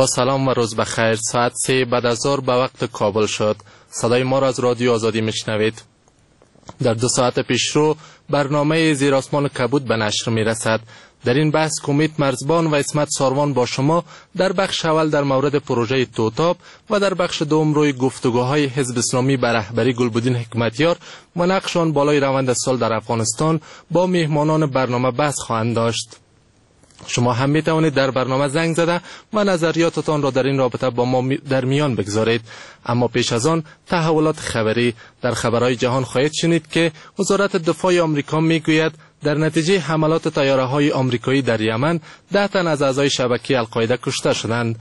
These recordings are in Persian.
با سلام و روز بخیر. ساعت 3 بعد از ظهر به وقت کابل شد. صدای ما را از رادیو آزادی میشنوید. در 2 ساعت پیشرو برنامه زیر آسمان کبود به نشر میرسد. در این بحث کمیت مرزبان و عصمت ساروان با شما در بخش اول در مورد پروژه توتاب و در بخش دوم روی گفتگوهای حزب اسلامی به رهبری گلبدین حکمتیار و نقش آن بالای روند سال در افغانستان با میهمانان برنامه بحث خواهند داشت. شما هم می توانید در برنامه زنگ زده و نظریاتتان را در این رابطه با ما در میان بگذارید. اما پیش از آن تحولات خبری. در خبرهای جهان خواهید شنید که وزارت دفاع آمریکا میگوید در نتیجه حملات طیاره‌های آمریکایی در یمن 10 تن از اعضای شبکه القاعده کشته شدند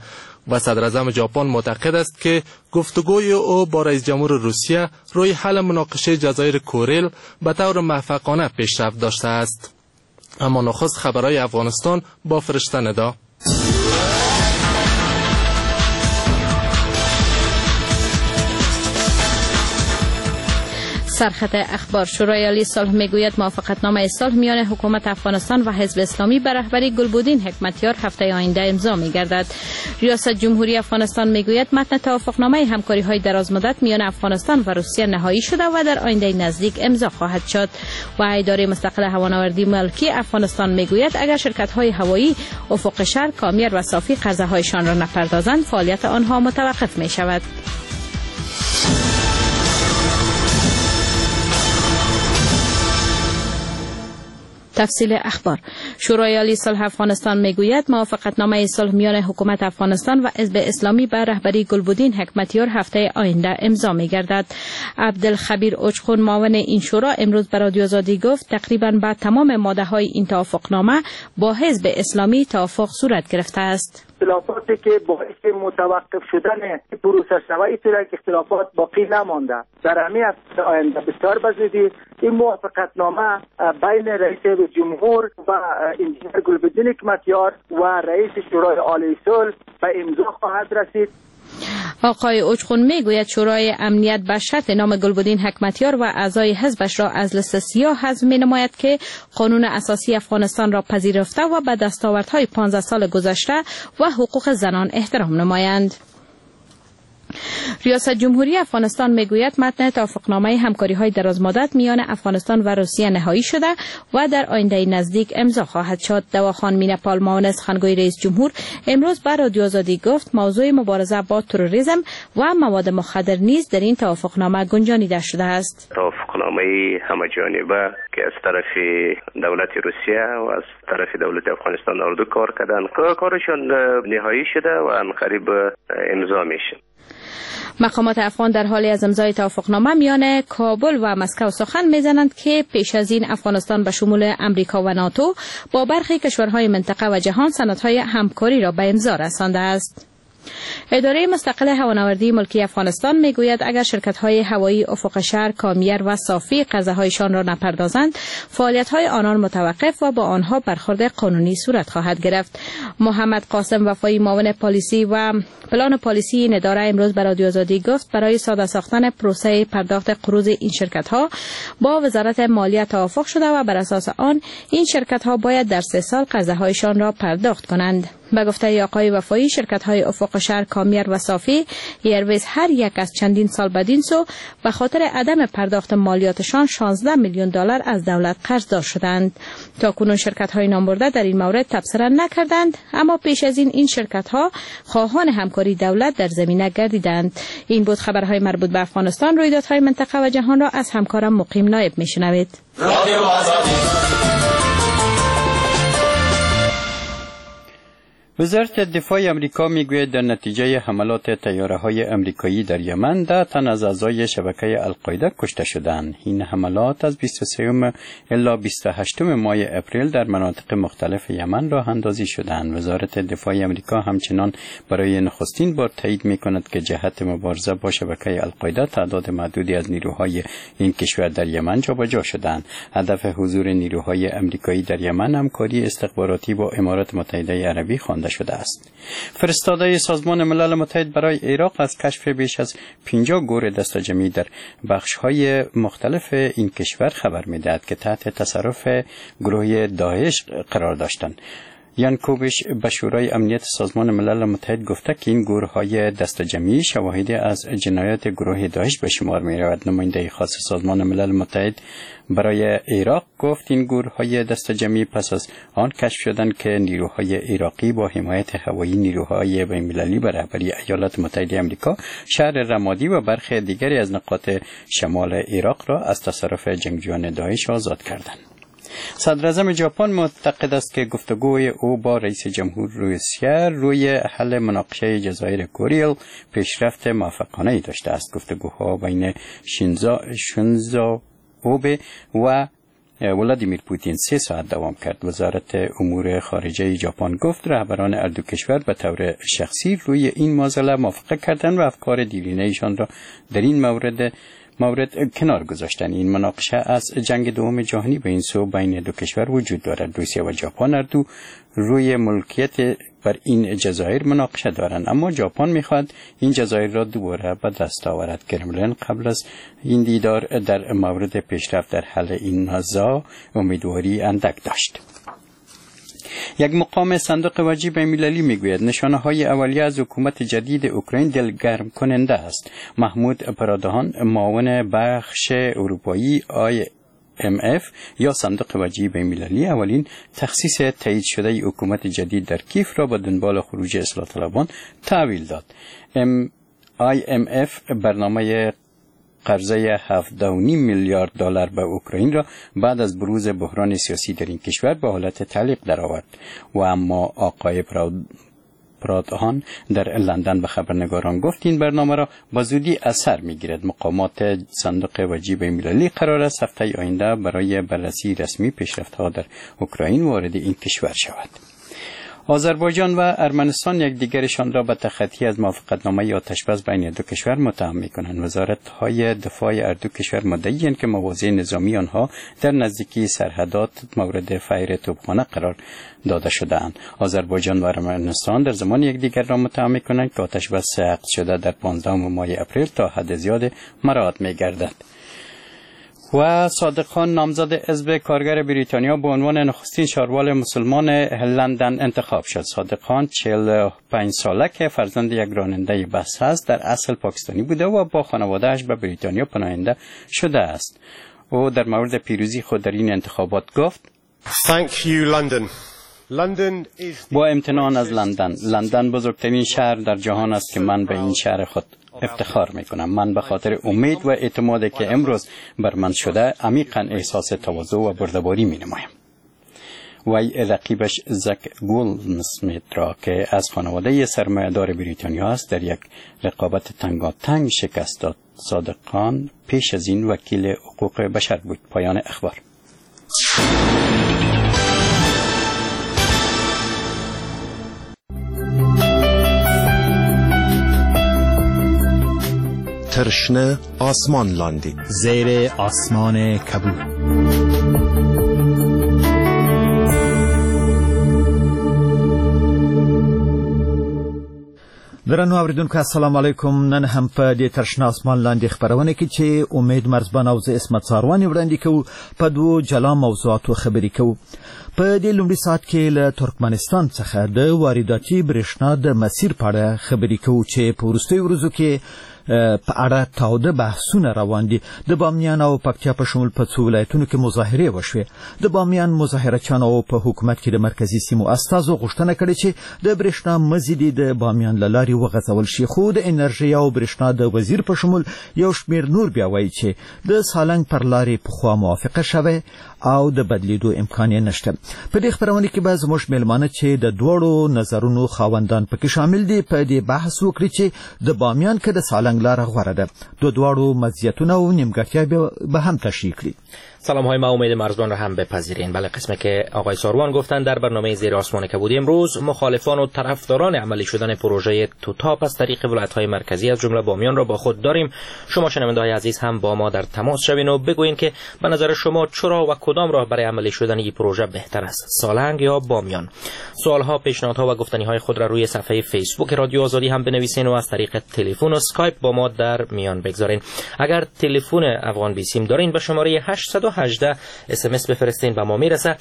و صدراعظم ژاپن معتقد است که گفتگوی او با رئیس جمهور روسیه روی حل مناقشه جزایر کوریل به طور موفقانه پیشرفت داشته است. اما نخست خبرهای افغانستان با فرشته ندا. سرخط اخبار. شورای عالی صلح میگوید موافقتنامه صلح میان حکومت افغانستان و حزب اسلامی به رهبری گلبدین حکمتیار هفته آینده امضا میگردد. ریاست جمهوری افغانستان میگوید متن توافقنامه همکاری های درازمدت میان افغانستان و روسیه نهایی شده و در آینده نزدیک امضا خواهد شد. و اداره مستقل هوانوردی ملکی افغانستان میگوید اگر شرکت های هوایی افق شهر، کامیر و صافی قرضه هایشان را نپردازند فعالیت آنها متوقف می شود. تفصیل اخبار. شورای عالی صلح افغانستان میگوید موافقتنامه صلح میان حکومت افغانستان و حزب اسلامی به رهبری گلبدین حکمتیار هفته آینده امضا میگردد. عبدالخبیر اوچخون معاون این شورا امروز به رادیو آزادی گفت تقریبا به تمام ماده های این توافقنامه با حزب اسلامی توافق صورت گرفته است. اختلافاتی که باعث متوقف شدن پروسه شود که اختلافات باقی نمانده. در همین هفته آینده بسیار بزودی این موافقتنامه بین رئیس جمهور و انجینر گلبدین حکمتیار و رئیس شورای عالی صلح به امضا خواهد رسید. آقای اوچخون میگوید شورای امنیت به شرط نام گلبدین حکمتیار و اعضای حزبش را از لیست سیاه حذف مینماید که قانون اساسی افغانستان را پذیرفته و به دستاوردهای 15 سال گذشته و حقوق زنان احترام نمایند. ریاست جمهوری افغانستان میگوید متن توافقنامه همکاری های درازمدت میان افغانستان و روسیه نهایی شده و در آینده نزدیک امضا خواهد شد. دواخان مینپال معاون سخنگوی رئیس جمهور امروز به رادیو آزادی گفت موضوع مبارزه با تروریسم و مواد مخدر نیز در این توافقنامه گنجانیده شده است. توافقنامه همه جانبه که از طرف دولت روسیه و از طرف دولت افغانستان اردو کار کردن، کارشان نهایی شده و قریب امضا میشه. مقامات افغان در حال از امضای توافقنامه میان کابل و مسکو سخن میزنند که پیش از این افغانستان به شمول امریکا و ناتو با برخی کشورهای منطقه و جهان سندهای همکاری را به امضا رسانده است. اداره مستقل هوانوردی ملکی افغانستان میگوید اگر شرکت‌های هوایی افق شهر، کامیر و صافی قرضه‌هایشان را نپردازند فعالیت‌های آنان متوقف و با آنها برخورد قانونی صورت خواهد گرفت. محمد قاسم وفایی معاون پالیسی و پلان پالیسی این اداره امروز به رادیو آزادی گفت برای ساده ساختن پروسه پرداخت قروض این شرکت‌ها با وزارت مالیه توافق شده و بر اساس آن این شرکت‌ها باید در 3 سال قرضه‌هایشان را پرداخت کنند. به گفته آقای وفایی شرکت‌های افق شهر، کامیر و صافی ایرویز هر یک از چندین سال بدین سو به خاطر عدم پرداخت مالیاتشان 16 میلیون دلار از دولت قرضدار شدند. تا کنون شرکت‌های نامبرده در این مورد تبصره نکردند، اما پیش از این شرکت‌ها خواهان همکاری دولت در زمینه گردیدند. این بود خبرهای مربوط به افغانستان. رویدادهای منطقه و جهان را از همکارم مقیم نایب میشنوید. وزارت دفاع امریکا میگوید در نتیجه حملات طیاره‌های امریکایی در یمن 10 تن از اعضای شبکه القاعده کشته شدند. این حملات از 23 الی 28 ماه اپریل در مناطق مختلف یمن راه اندازی شدند. وزارت دفاع امریکا همچنان برای نخستین بار تایید میکند که جهت مبارزه با شبکه القاعده تعداد محدودی از نیروهای این کشور در یمن جابجا شدند. هدف حضور نیروهای امریکایی در یمن همکاری استخباراتی با امارات متحده عربی خوانده شده است. فرستاده سازمان ملل متحد برای عراق از کشف بیش از 50 گور دسته‌جمعی در بخش‌های مختلف این کشور خبر می‌دهد که تحت تصرف گروه داعش قرار داشتند. یان کوبش به شورای امنیت سازمان ملل متحد گفته که این گورهای دست جمعی شواهد از جنایات گروه داعش به شمار می رود. نماینده خاص سازمان ملل متحد برای عراق گفت این گورهای دست جمعی پس از آن کشف شدند که نیروهای عراقی با حمایت هوایی نیروهای بین‌المللی به رهبری ایالات متحده آمریکا شهر رمادی و برخی دیگری از نقاط شمال عراق را از تصرف جنگجویان داعش آزاد کردند. صدراعظم ژاپن معتقد است که گفتگوی او با رئیس جمهور روسیه روی حل مناقشه جزایر کوریل پیشرفت موفقانه داشته است. گفتگوها بین شینزو آبه و ولادیمیر پوتین 3 ساعت دوام کرد. وزارت امور خارجه ژاپن گفت رهبران هر دو کشور به طور شخصی روی این معضله موافقه کردند و افکار دیرینه ایشان را در این مورد کنار گذاشتن. این مناقشه از جنگ دوم جهانی به این سو بین دو کشور وجود دارد. روسیه و ژاپن هر دو روی ملکیت بر این جزایر مناقشه دارند، اما ژاپن میخواد این جزایر را دوباره به دست آورد. کرملین قبل از این دیدار در مورد پیشرفت در حل این نزاع امیدواری اندک داشت. یک مقام صندوق وجهی بین‌المللی میگوید نشانه های اولیه از حکومت جدید اوکراین دلگرم کننده است. محمود پرادهان معاون بخش اروپایی IMF یا صندوق وجهی بین‌المللی اولین تخصیص تایید شده حکومت جدید در کیف را به دنبال خروج اصلاح طلبان تحویل داد. IMF برنامه قرضه 7.5 میلیارد دلار به اوکراین را بعد از بروز بحران سیاسی در این کشور به حالت تعلیق درآورد. و اما آقای پرادهان در لندن به خبرنگاران گفت این برنامه را با زودی اثر میگیرد. مقامات صندوق وجهی بین‌المللی قرار است هفته آینده برای بررسی رسمی پیشرفت‌ها در اوکراین وارد این کشور شود. آذربایجان و ارمنستان یکدیگرشان را به تخطی از موافقتنامه آتش‌بس بین دو کشور متهم می‌کنند. وزارت‌های دفاع هر دو کشور مدعی‌اند که مواضع نظامی آنها در نزدیکی سرحدات مورد فیر توپخانه قرار داده شده‌اند. آذربایجان و ارمنستان در زمان یکدیگر را متهم می‌کنند که آتش‌بس عقد شده در 15 ماه اپریل تا حد زیاد مراعات می‌گردد. و صادق خان نامزد حزب کارگر بریتانیا به عنوان نخستین شاروال مسلمان لندن انتخاب شد. صادق خان 45 ساله که فرزند یک راننده بس است، در اصل پاکستانی بوده و با خانواده‌اش به بریتانیا پناهنده شده است. او در مورد پیروزی خود در این انتخابات گفت: Thank you, London. با امتنان از لندن. لندن بزرگترین شهر در جهان است که من به این شهر خود افتخار میکنم. من به خاطر امید و اعتمادی که امروز بر من شده عمیقا احساس تواضع و بردباری می نمایم. وی رقیبش زک گولدسمیت را که از خانواده سرمایه‌دار بریتانیا است در یک رقابت تنگاتنگ شکست داد. صادق خان پیش از این وکیل حقوق بشر بود. پایان اخبار. تر شنه آسمان لاندې، زیر آسمان کبود. درنو اوریدونکو السلام علیکم. نن هم په دې تر شنه اسمان لاندې خپرونه کې چې امید مرزبان او زه عصمت څاروان وړاندې کوو په دوو جلا موضوعاتو خبرې کوو. په دې لومړي ساعت کې له ترکمنستان څخه د وارداتي برېښنا د مسیر په اړه خبرې کوو چې په وروستیو ورځو کې په اړه تاوده بحثونه روان دي. د بامیان او پکتیا په شمول په څو ولایتونو کې مظاهرې وشوې. د بامیان مظاهره چیانو په حکومت کې د مرکزي سیمو استازو غوښتنه کړې چې د برېښنا مزي دې د بامیان له لارې وغځول شي، خو د انرژۍ او برېښنا د وزیر په شمول یو شمېر نور بیا وایي چې د سالنګ پر لارې پخوا موافقه شوې او د بدلیدو امکان یې نشته. په دې خپرونه کې به زموږ مېلمانه چې د دواړو نظرونو خاوندان پکې شامل دي په دې بحث وکړي چې د بامیان که د سالنګ لاره غوره ده. د دواړو مزیتونه او نیمګړتیا به هم تشریح کړي. سلام های ما امید مرزبان را هم بپذیرین. بله، قسمه که آقای ساروان گفتن در برنامه زیر آسمان کبودی امروز مخالفان و طرفداران عملی شدن پروژه توتاپ از طریق ولایت های مرکزی از جمله بامیان را با خود داریم. شما شنونده های عزیز هم با ما در تماس شوین و بگویین که به نظر شما چرا و کدام راه برای عملی شدن این پروژه بهتر است، سالنگ یا بامیان؟ سوال ها، پیشنهادها و گفتنی های خود را روی صفحه فیسبوک رادیو آزادی هم بنویسین و از طریق تلفن و اسکایپ با ما در میان بگذارین. اگر تلفن افغان بیسیم دارین به شماره 818 SMS بفرستین و ما میرسه.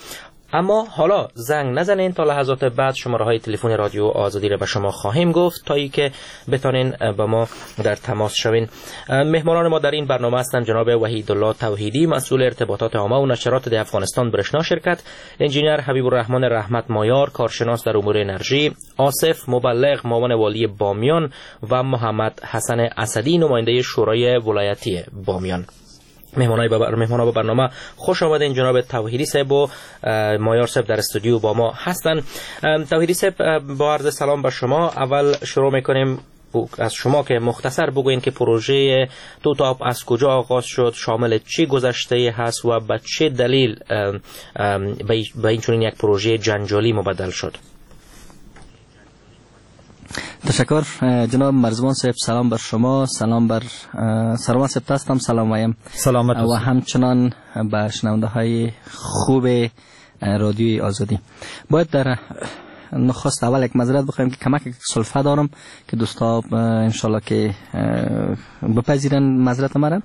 اما حالا زنگ نزنین، تا لحظات بعد شماره های تلفن رادیو آزادی را به شما خواهیم گفت تا ای که بتانین با ما در تماس شوین. مهمانان ما در این برنامه هستند جناب وحیدالله توحیدی، مسئول ارتباطات عامه و نشرات ده افغانستان برشنا شرکت، انجینیر حبیب الرحمن رحمت مایار، کارشناس در امور انرژی، آصف مبلغ، معاون والی بامیان و محمد حسن اسدی، نماینده شورای ولایتی بامیان. مهمانان به برنامه خوش آمدین. جناب توحیدی صاحب و مایار صاحب در استودیو با ما هستند. توحیدی صاحب، با عرض سلام به شما، اول شروع میکنیم از شما که مختصر بگوین که پروژه توتاپ از کجا آغاز شد، شامل چه گذشته هست و به چه دلیل به این چنین یک پروژه جنجالی مبدل شد. تشکر جناب مرزبان صاحب، سلام بر شما، سلام بر سروان صاحب هستم، سلام وایم سلامت و همچنان به شنونده های خوب رادیوی آزادی. باید در نخست اول یک معذرت بخوایم که کمک سلفه دارم که دوستا انشالله که بپذیرن معذرت مرا.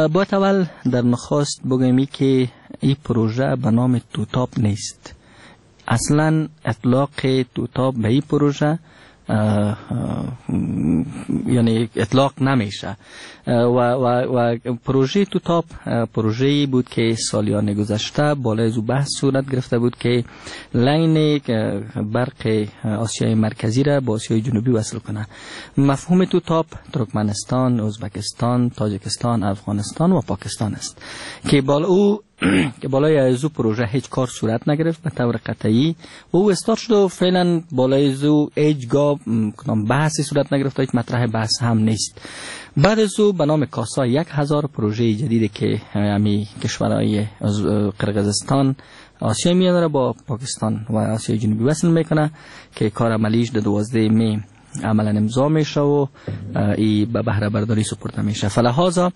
باید اول در نخست بگویم که این پروژه به نام توتاپ نیست. اصلا اطلاق توتاپ به این پروژه یعنی اطلاق نمیشه و پروژه توتاپ پروژه‌ای بود که سالیان گذشته بالای از او بحث صورت گرفته بود که line برق آسیای مرکزی را با آسیای جنوبی وصل کنه. مفهوم توتاپ ترکمنستان، ازبکستان، تاجیکستان، افغانستان و پاکستان است که بالای از او پروژه هیچ کار صورت نگرفت به طور قطعی و او استارت شد و فعلا بالای از او هیچگاه کدام بحثی صورت نگرفت و هیچ مطرح بحث هم نیست. بعد از او به نام کاسا 1000 پروژه جدیدی که همی کشورهای قرقیزستان، آسیای میانه را با پاکستان و آسیای جنوبی وصل میکنه که کار عملیش در 12 می عملا امضا میشه و ای به بهره برداری سپرده میشه. فلهذا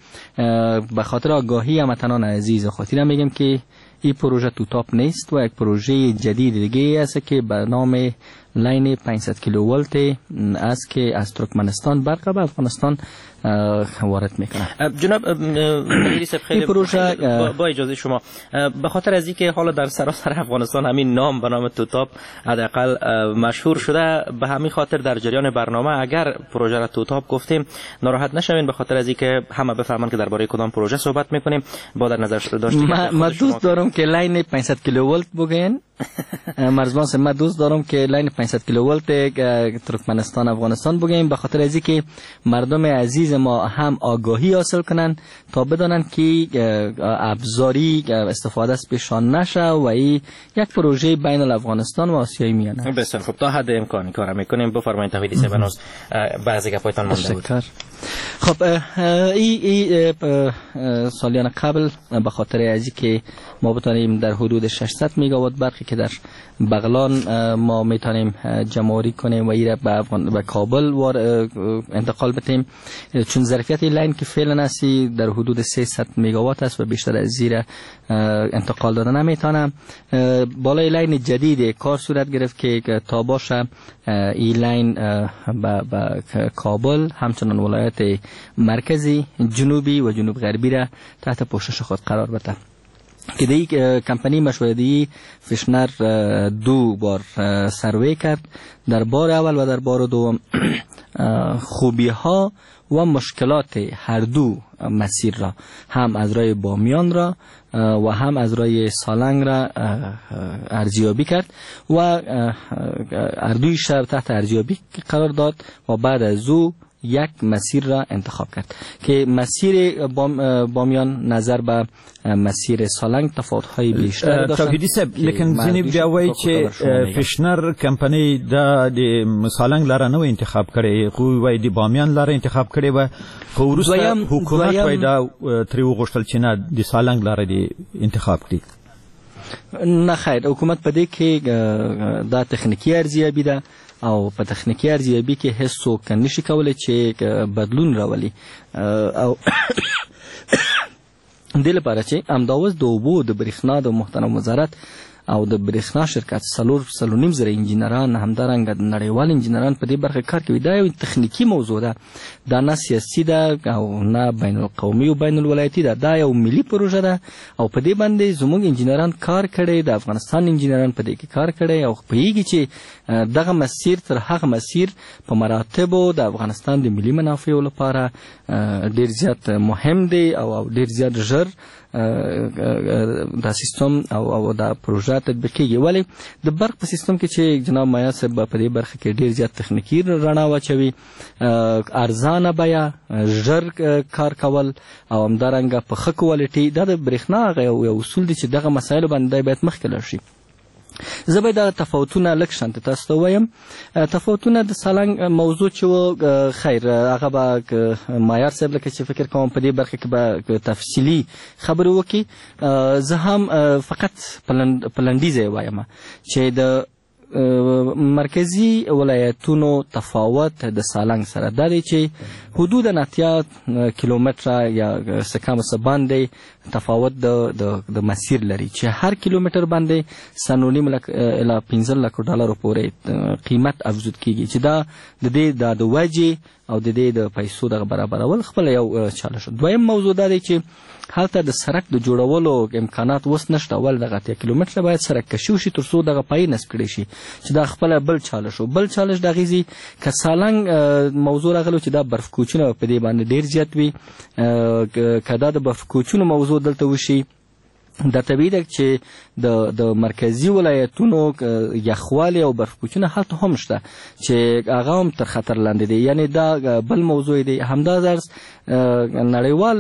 به خاطر آگاهی هموطنان عزیز خاطر میگم که این پروژه توتاپ نیست و یک پروژه جدید دیگه است که به نام line 500 کیلوولت است که از ترکمنستان برق به افغانستان وارد میکنه. جناب خیلی پروژه با اجازه شما، به خاطر از اینکه حالا در سراسر افغانستان همین نام به نام توتاپ حداقل مشهور شده، به همین خاطر در جریان برنامه اگر پروژه را توتاپ گفتیم ناراحت نشوین، به خاطر از اینکه همه بفهمن که درباره کدام پروژه صحبت میکنیم. با در نظر داشت ما دوست دارم که line 500 کیلوولت بگین. مرزبان ما دوست دارم که line 500 کیلوولت ترکمنستان افغانستان بگیم، به خاطر از اینکه مردم عزیز ما هم آگاهی حاصل کنن تا بدانن که ابزاری استفاده از پیشان نشه و این یک پروژه بین الافغانستان و آسیای میانه. بسیار خب، تا حد امکان کار میکنیم. بفرمایید توحیدی صاحب، هنوز بعضی گپایتان مونده بود. خب ای سالیان قبل به خاطر از اینکه ما بتانیم در حدود 600 مگاوات برقی که در بغلان ما میتونیم جمع‌آوری کنیم و ایره به کابل انتقال بدیم، چون ظرفیت line که فعلا هستی در حدود 300 مگاوات است و بیشتر از زیر انتقال داده نمیتونم. بالای line جدید کار صورت گرفت که تا باشه این line به کابل همچنان ولایت مرکزی، جنوبی و جنوب غربی را تحت پوشش خود قرار بده. که دی کمپانی مشورتی فشنر دو بار سروی کرد، در بار اول و در بار دوم خوبی ها و مشکلات هر دو مسیر را، هم از راه بامیان را و هم از راه سالنگ را ارزیابی کرد و هر دوی شب تحت ارزیابی قرار داد و بعد از او یک مسیر را انتخاب کرد که مسیر بامیان نظر به مسیر سالنگ تفاوت‌های بیشتر داشت. توحیدی صاحب، لیکن ځینې بیا وایي چې فشنر کمپنۍ دا د سالنګ لاره نه انتخاب کړې، خو وایي د بامیان لاره انتخاب کړې وه، خو وروسته حکومت وایي دا ترې وغوښتل چې نه، د سالنګ لاره دې انتخاب کړي. نه خیر، حکومت په دې کې دا تخنیکي ارزیابي ده او په تخنیکي ارزیابي کې هیڅ څوک نشي کولی چې بدلون راولي او دې لپاره چې همدا اوس د اوبو د برېښنا د محترم وزارت او د برېښنا شرکت 4.5 زره انجینران، همدارنګه نړیوال انجینران په دې برخه کار کوي. دا یو تخنیکي موضوع ده، دا نه سیاسي ده او نه بین القومي او بین الولایتي ده، دا یو ملي پروژه ده او په دې باندې زموږ انجینران کار کړی، د افغانستان انجینران په دې کې کار کړی او پوهیږي چې دغه مسیر تر هغه مسیر په مراتبو د افغانستان د ملي منافعو لپاره ډیر زیات مهم دی او ډیر زیات ژر دا سیستم او دا پروژه تطبیقیږي. ولی د برق په سیستم کې چې جناب مایا صاحب په دې برخه کې ډیر زیات تخنیکي رڼا واچوي، ارزانه بیه، ژر کار کول او همدارنګه په ښه کوالټي، دا د برېښنا هغه یو اصول دی چې دغه مسایلو باندې باید مخکې لاړ شي. زه به دا تفاوتونه لږ شانته تاسو ته ووایم. تفاوتونه د سالنګ موضوع چې و، خیر هغه به مایار صاحب لکه چې فکر کوم په دې برخه کې به تفصیلي خبرې وکړي. زه هم فقط په لنډیز یې وایم چې د مرکزي ولایتونو تفاوت د سالنګ سره دا دی چې حدود 80 کیلومتره یا څه کم څه باندې تفاوت د مسیر لري چې هر کیلومتر باندې 7.5 لک الی 15 لک ډالرو پورې قیمت افزود کیږي، چې دا د دې د وجې او د دې د پیسو دغه برابرول خپل یو چالش. دویم موضوع دا دی چې هلته د سرک د جوړولو امکانات اوس نشته، ول دغه 80 کیلومتره باید سرک کشي وشي تر څو دغه پای نصب کړی شي، چې دا خپله بل چالش و. بل چالش د هغې ځي که سالنګ موضوع راغلو چې دا برف کوچونه په دې باندې ډېر زیات وي، که دا د برف کوچونو موضوع دلته وشي، دا طبیعي ده چې د مرکزي ولایتونو یخوالی او برف کوچونه هلته هم شته چې هغه هم تر خطر لاندې دی، یعنی دا بل موضوع دی. همدا درس نړیوال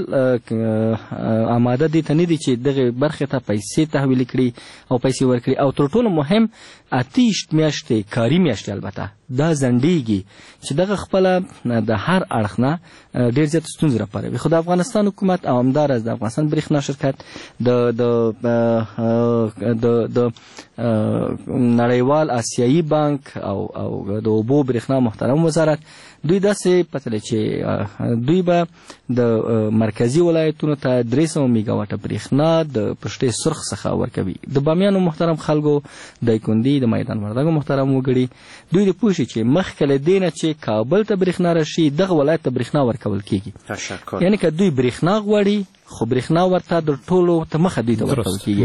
آماده دې ته نه دي چې دغې برخې ته پیسې تحویل کړي او پیسې ورکړي. او تر ټولو مهم 28 میاشتې کاري میاشتې البته دا ځنډېږي چې دغه خپله د هر اړخ نه ډېر زیات ستونزې راپاروي. خو د افغانستان حکومت او همداراز د افغانستان برېښنا شرکت د د د د نړیوال آسیایي بانک او د اوبو برېښنا محترم وزارت دوی داسې پتلې چې دوی به د مرکزي ولایتونو ته 300 میګاواټه برېښنا د پشتې سرخ څخه ورکوي. د بامیانو محترم خلکو، دایکندي، د میدان وردګو محترم وګړي دوی د پوه شي چې مخکې له دې نه چې کابل ته برېښنا راشي دغه ولایت ته برېښنا ورکول کیږي. یعنی که دوی برېښنا غواړي خو برېښنا ورته د ټولو ته مخه دوی ته ورکول کیږي،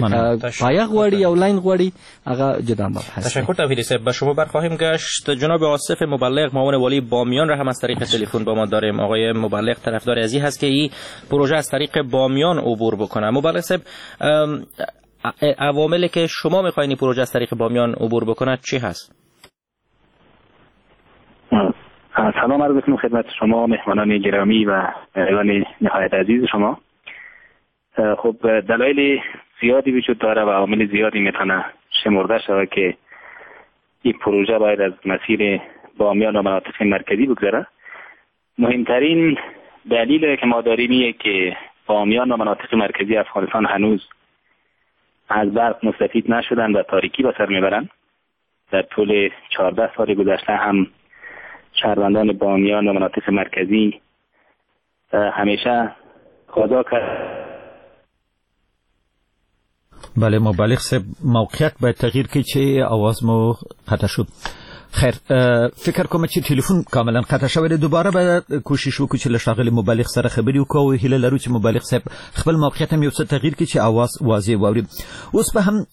پایه غواړي او لاین غواړي هغه جدا مبحث. تشکر توحیدی صاحب. به شما برخواهیم گشت. جناب آصف مبلغ معاون والی بامیان را هم از طریق تلفن با ما داریم. آقای مبلغ طرفدار ازی هست که این پروژه از طریق بامیان عبور بکنه. مبلغ صاحب، عواملی که شما میخواین این پروژه از طریق بامیان عبور بکنه چی هست؟ سلام عرض میکنم خدمت شما مهمانان گرامی و مهمانان نهایت عزیز شما. خب دلایل زیادی وجود داره و عوامل زیادی میتونه شمرده شود که این پروژه باید از مسیر بامیان و مناطق مرکزی بگذره. مهمترین دلیل که ما داریم اینه که بامیان و مناطق مرکزی افغانستان هنوز از برق مستفید نشدن و تاریکی به سر میبرن. در طول 14 سال گذشته هم شهروندان بامیان و مناطق مرکزی همیشه خدا کرد. بله مبلغ صاحب، موقعیت باید تغییر کړي چې آواز مو قطع شد. خیر، فکر کوم چې تلفن کاملا قطع شوی دی. دوباره به کوشش وکړو چې له ښاغلي مبلغ سره خبرې وکړو او هیله لرو چې مبلغ صاحب خپل موقعیت هم یو څه تغییر کړي چې آواز واضح واوري. اوس به هم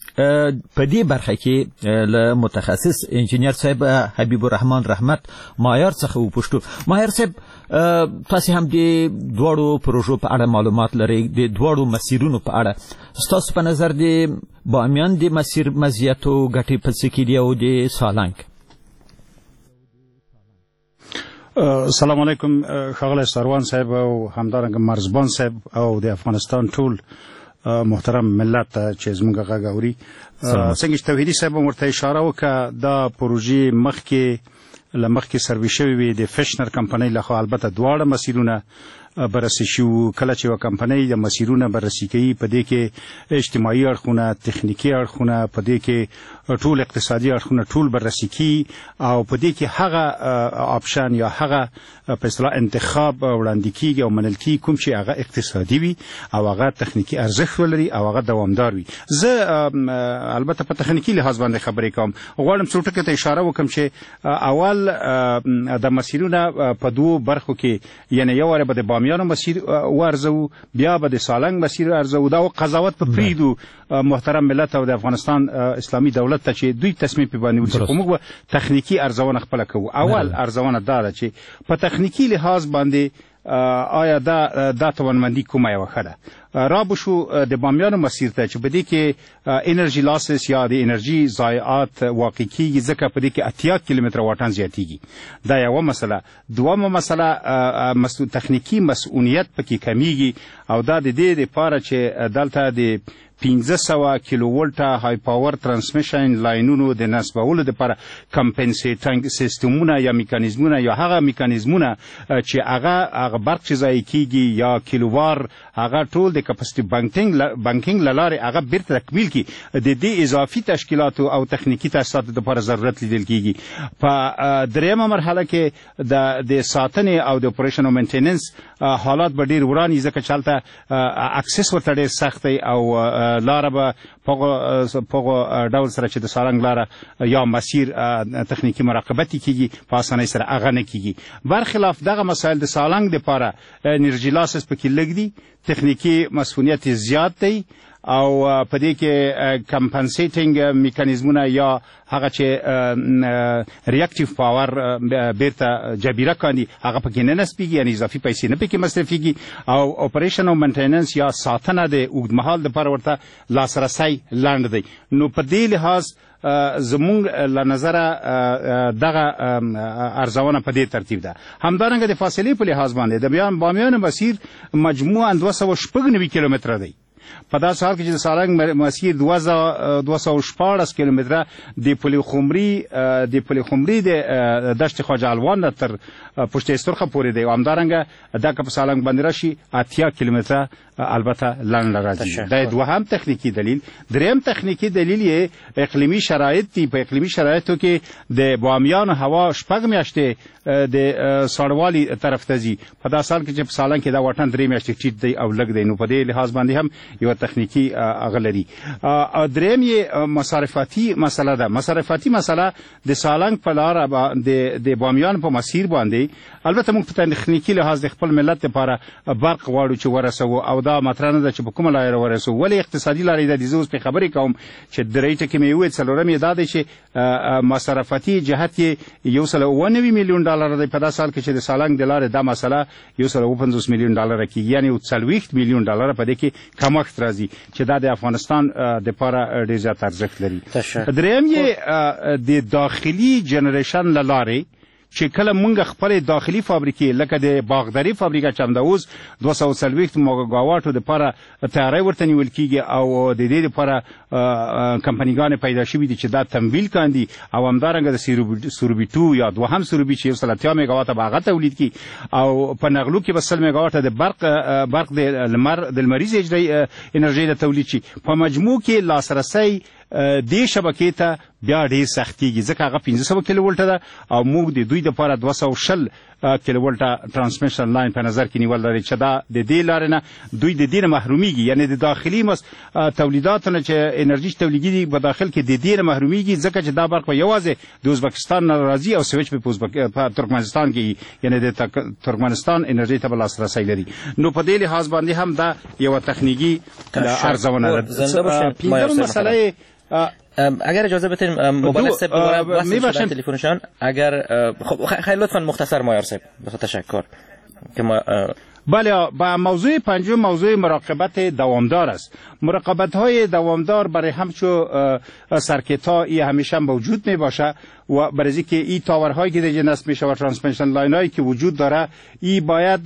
په دې برخه کې له متخصص انجینر صاحب حبیب الرحمن رحمت مایار څخه وپوښتو. مایار صاحب، تاسې هم د دواړو پروژو په اړه معلومات لرئ، د دواړو مسیرونو په اړه ستاسو په نظر د بامیان د مسیر مزیت او ګټې په څه کې دي او د سالنګ؟ سلام علیکم ښاغلی سروان صاحب او همدارنګه مرزبان صاحب او د افغانستان ټول محترم ملت ته چې زموږ غږ اوري. څنګه چې توحیدي صاحب هم ورته اشاره وکړه، دا پروژې مخکې له مخکې سروي شوې وې د فشنر کمپنۍ لخوا. البته دواړه مسیرونه بررسي شوي. کله چې یوه کمپنۍ د مسیرونه بررسي کوي، په دې کې اجتماعي اړخونه، تخنیکي اړخونه، په دې کې ټول اقتصادي اړخونه ټول بررسي کیږي او په دې کې هغه option یا هغه په اصطلاح انتخاب وړاندې کیږي او منل کیږي کوم چې هغه اقتصادي وي او هغه تخنیکي ارزښت ولري او هغه دوامدار وي. زه البته په تخنیکي لحاظ باندې خبرې کوم، غواړم څو ټکو ته اشاره وکړم چې اول د مسیرونه په دوو برخو کې، یعنی یو واره به د بامیانو مسیر وارزوو، بیا به د سالنګ مسیر ارزوو. دا قضاوت په پرېږدو محترم ملت او د افغانستان اسلامي دولت ته چې دوی تصمیم پرې باندې ونیسي، خو موږ به تخنیکي ارزونه خپله کوو. اول ارزونه دا ده چې په تخنیکي لحاظ باندې آیا دا توانمندي کومه یوه ښه ده. را به شو د بامیانو مسیر ته چې په دې کې energy losses یا د انرژي ضایعات واقع کیږي، ځکه په دې کې 80 کیلومتره واټن زیاتیږي. دا یوه مسله. دومه مسله تخنیکي مسؤلیت پکې کمیږي او دا د دې لپاره چې دلته د 500 کیلو ولټه high power transmission لاینونو د نصبولو لپاره compensating سیستمونه یا میکانیزمونه یا هغه میکانیزمونه چې هغه برق چې ضایع کیږي یا کیلووار هغه ټول د capacity banking له لارې هغه بیرته تکمیل کړي، د دې اضافي تشکیلاتو او تخنیکي تاسیساتو لپاره ضرورت لیدل کیږي. په دریمه مرحله کې د ساتنې او د operation او maintenance حالات به ډېر وران وي، ځکه چې هلته access ورته ډېر سخت دی او لاره به په هغه ډول سره چې د سالنګ لاره یا مسیر تخنیکي مراقبت کیږي په اسانۍ سره هغه نه کیږي. برخلاف دغه مسایل د سالنګ دپاره energy losses پکې لږ دي، تخنیکي مسؤلیت زیات دی او په دې کې compensating میکانیزمونه یا هغه چې reactive power بیرته جبیره کاندي هغه پکې نه نصبیږي، یعنی اضافي پیسې نه پکې مصرفیږي او operation او maintenance یا ساتنه د اوږدمهال دپاره ورته لاسرسی لنډ دی. نو په دې لحاظ زمونږ له نظره دغه ارزونه په دې ترتیب ده. همدارنګه د فاصلې په لحاظ باندې د بامیانو مسیر مجموعاً 296 کیلومتره دی، په داسې حال کې چې د سالنګ مسیر 216 کیلومتره د پلخمري د دشت خواجه الوان نه تر پشت استرخه پورې دی او همدارنګه دا که په سالنګ باندې راشي 80 کیلومتره البته لنډه راځي. دا دوهم تخنیکي دلیل. دریم تخنیکي دلیل یې اقلیمي شرایط دي. په اقلیمي شرایطو کې د بامیانو هوا 6 میاشتې د ساړوالي طرف ته ځي، په داسې حال کې چې په سالنګ کې دا واټن 3 میاشتې ټیټ دی او لږ دی، نو په دې لحاظ باندې هم یوه تخنیکي هغه لري. دریم یې مصارفاتي مسله ده. مصارفاتي مسله د سالنګ په لاره د بامیان په مسیر باندې البته موږ په تخنیکي لحاظ د خپل ملت لپاره برق غواړو چې ورسوو او دا مطرح نه ده چې په کومه لاره ورسوو، ولې اقتصادي لارې ده. زه اوس پرې خبرې کوم چې درې ټکي مې وویل، څلورم یې دا دی چې مصارفاتي جهت یې 197 میلیون ډالر دی، په داسې حال کې چې د سالنګ د لارې دا مسله 157 میلیون ډالر کېږي، یعنې 40 میلیون ډالر په دې کې کمښت راځي چې دا د افغانستان دپاره ډېر زیات ارزښت لري. دریم یې د داخلي generation له لارې چې کله مونږ خپلې داخلي فابریکې لکه د باغداري فابریکه چې همدا اوس 240 میګاواټو دپاره تیاری ورته نیول کیږي او د دې دپاره کمپنیګانې پیدا شوي دي چې دا تمویل کاندي او همدارنګه د سروبي 2 یا دوهم سروبي چې 180 میګاواټه به هغه تولید کړي او په نغلو کې به 100 میګاواټه د برق د لمریزې انرژۍ د تولید شي. په مجموع کې لاسرسی دې شبکې ته بیا ډېر سختیږي، ځکه هغه 500 کیلو ولټه ده او موږ د دوی دپاره 220 کیلو ولټه transmission line په نظر کې نیول لري چې دا د دې لارې نه دوی د دې نه محرومیږي، یعنې د داخلي تولیداتو نه چې انرژي چې تولیدېږي په داخل کې د دې نه محرومیږي، ځکه چې دا برق به یوازې د ازبکستان نه راځي او سویچ په ترکمنستان کې، یعنې د ترکمنستان انرژي ته به لاسرسی لري. نو په دې لحاظ باندې هم دا یوه تخنیکي ارزونه ده. پنځمه مسله اگر اجازه بدین موبایل صاحب دوباره وصل شدن تلفنشان، اگر خب خیلی لطفا مختصر مایار صاحب تشکر که ما بله. با موضوع پنجم موضوع مراقبت دوامدار است. مراقبت های دوامدار برای همچو circuit ها ای همیشه موجود می باشه و برای اینکه این tower هایی که دیگه نصب میشه و transmission line هایی که وجود داره ای باید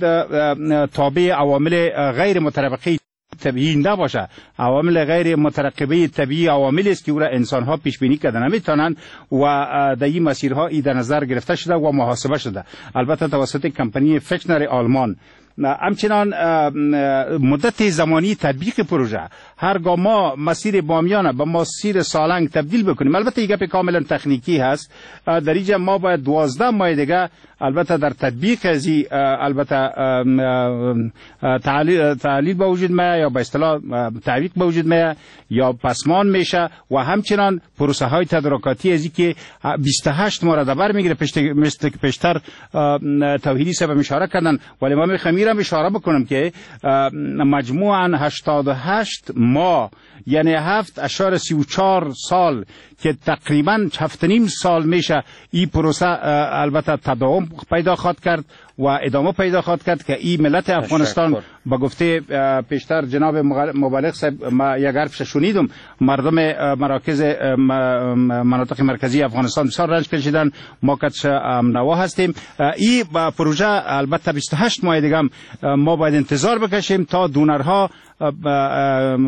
تابع عوامل غیر مترقبه طبیعی نباشه. عوامل غیر مترقبه طبیعی عوامل است که او را انسان ها پیش بینی کرده نمیتونند و در این مسیرها ای در نظر گرفته شده و محاسبه شده، البته توسط کمپانی فکنر آلمان. همچنان مدت زمانی تطبیق پروژه، هرگاه ما مسیر بامیان به مسیر سالنگ تبدیل بکنیم، البته یک گپ کاملا تکنیکی هست، در اینجا ما باید 12 ماه دیگه البته در تطبیق ازی البته تعلیل به وجود میاد یا به اصطلاح تعویق به وجود میاد یا پسمان میشه و همچنان پروسه های تدارکاتی ازی که 28 ماه را در بر میگیره، مثل که پیشتر توحیدی صاحب اشاره کردن. ولی ما میخوام میرم اشاره بکنم که مجموعاً 88 ماه یعنی 7.34 سال که تقریبا 7.5 سال میشه این پروسه البته تداوم پیدا خواهد کرد و ادامه پیدا خواهد کرد که این ملت افغانستان با گفته پیشتر جناب مبلغ صاحب ما یک حرفش شنیدم، مردم مراکز مناطق مرکزی افغانستان بسیار رنج کشیدن، ما کتش نوا هستیم. این پروژه البته 28 ماه دیگه ما باید انتظار بکشیم تا دونرها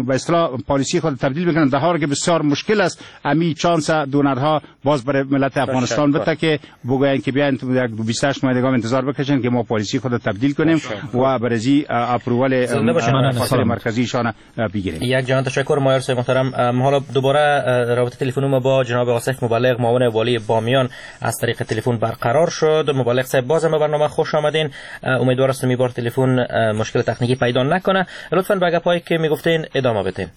به اصطلاح پالیسی خود تبدیل بکنن، در حالی که بسیار مشکل است امی چانس دونرها باز برای ملت افغانستان بده که بگوین که بیاین یک 28 ماه دیگه انتظار بکشین که ما پالیسی خود تبدیل کنیم و برزی اپروول مرکزی شان بگیریم. یک جهان تشکر مایار صاحب محترم. حالا دوباره رابطه تلفنی ما با جناب آصف مبلغ معاون والی بامیان از طریق تلفن برقرار شد. مبلغ صاحب بازم به برنامه خوش آمدین. امیدوار هستم این بار تلفن مشکل تکنیکی پیدا نکنه. لطفاً به گپایی که میگفتین ادامه بدین.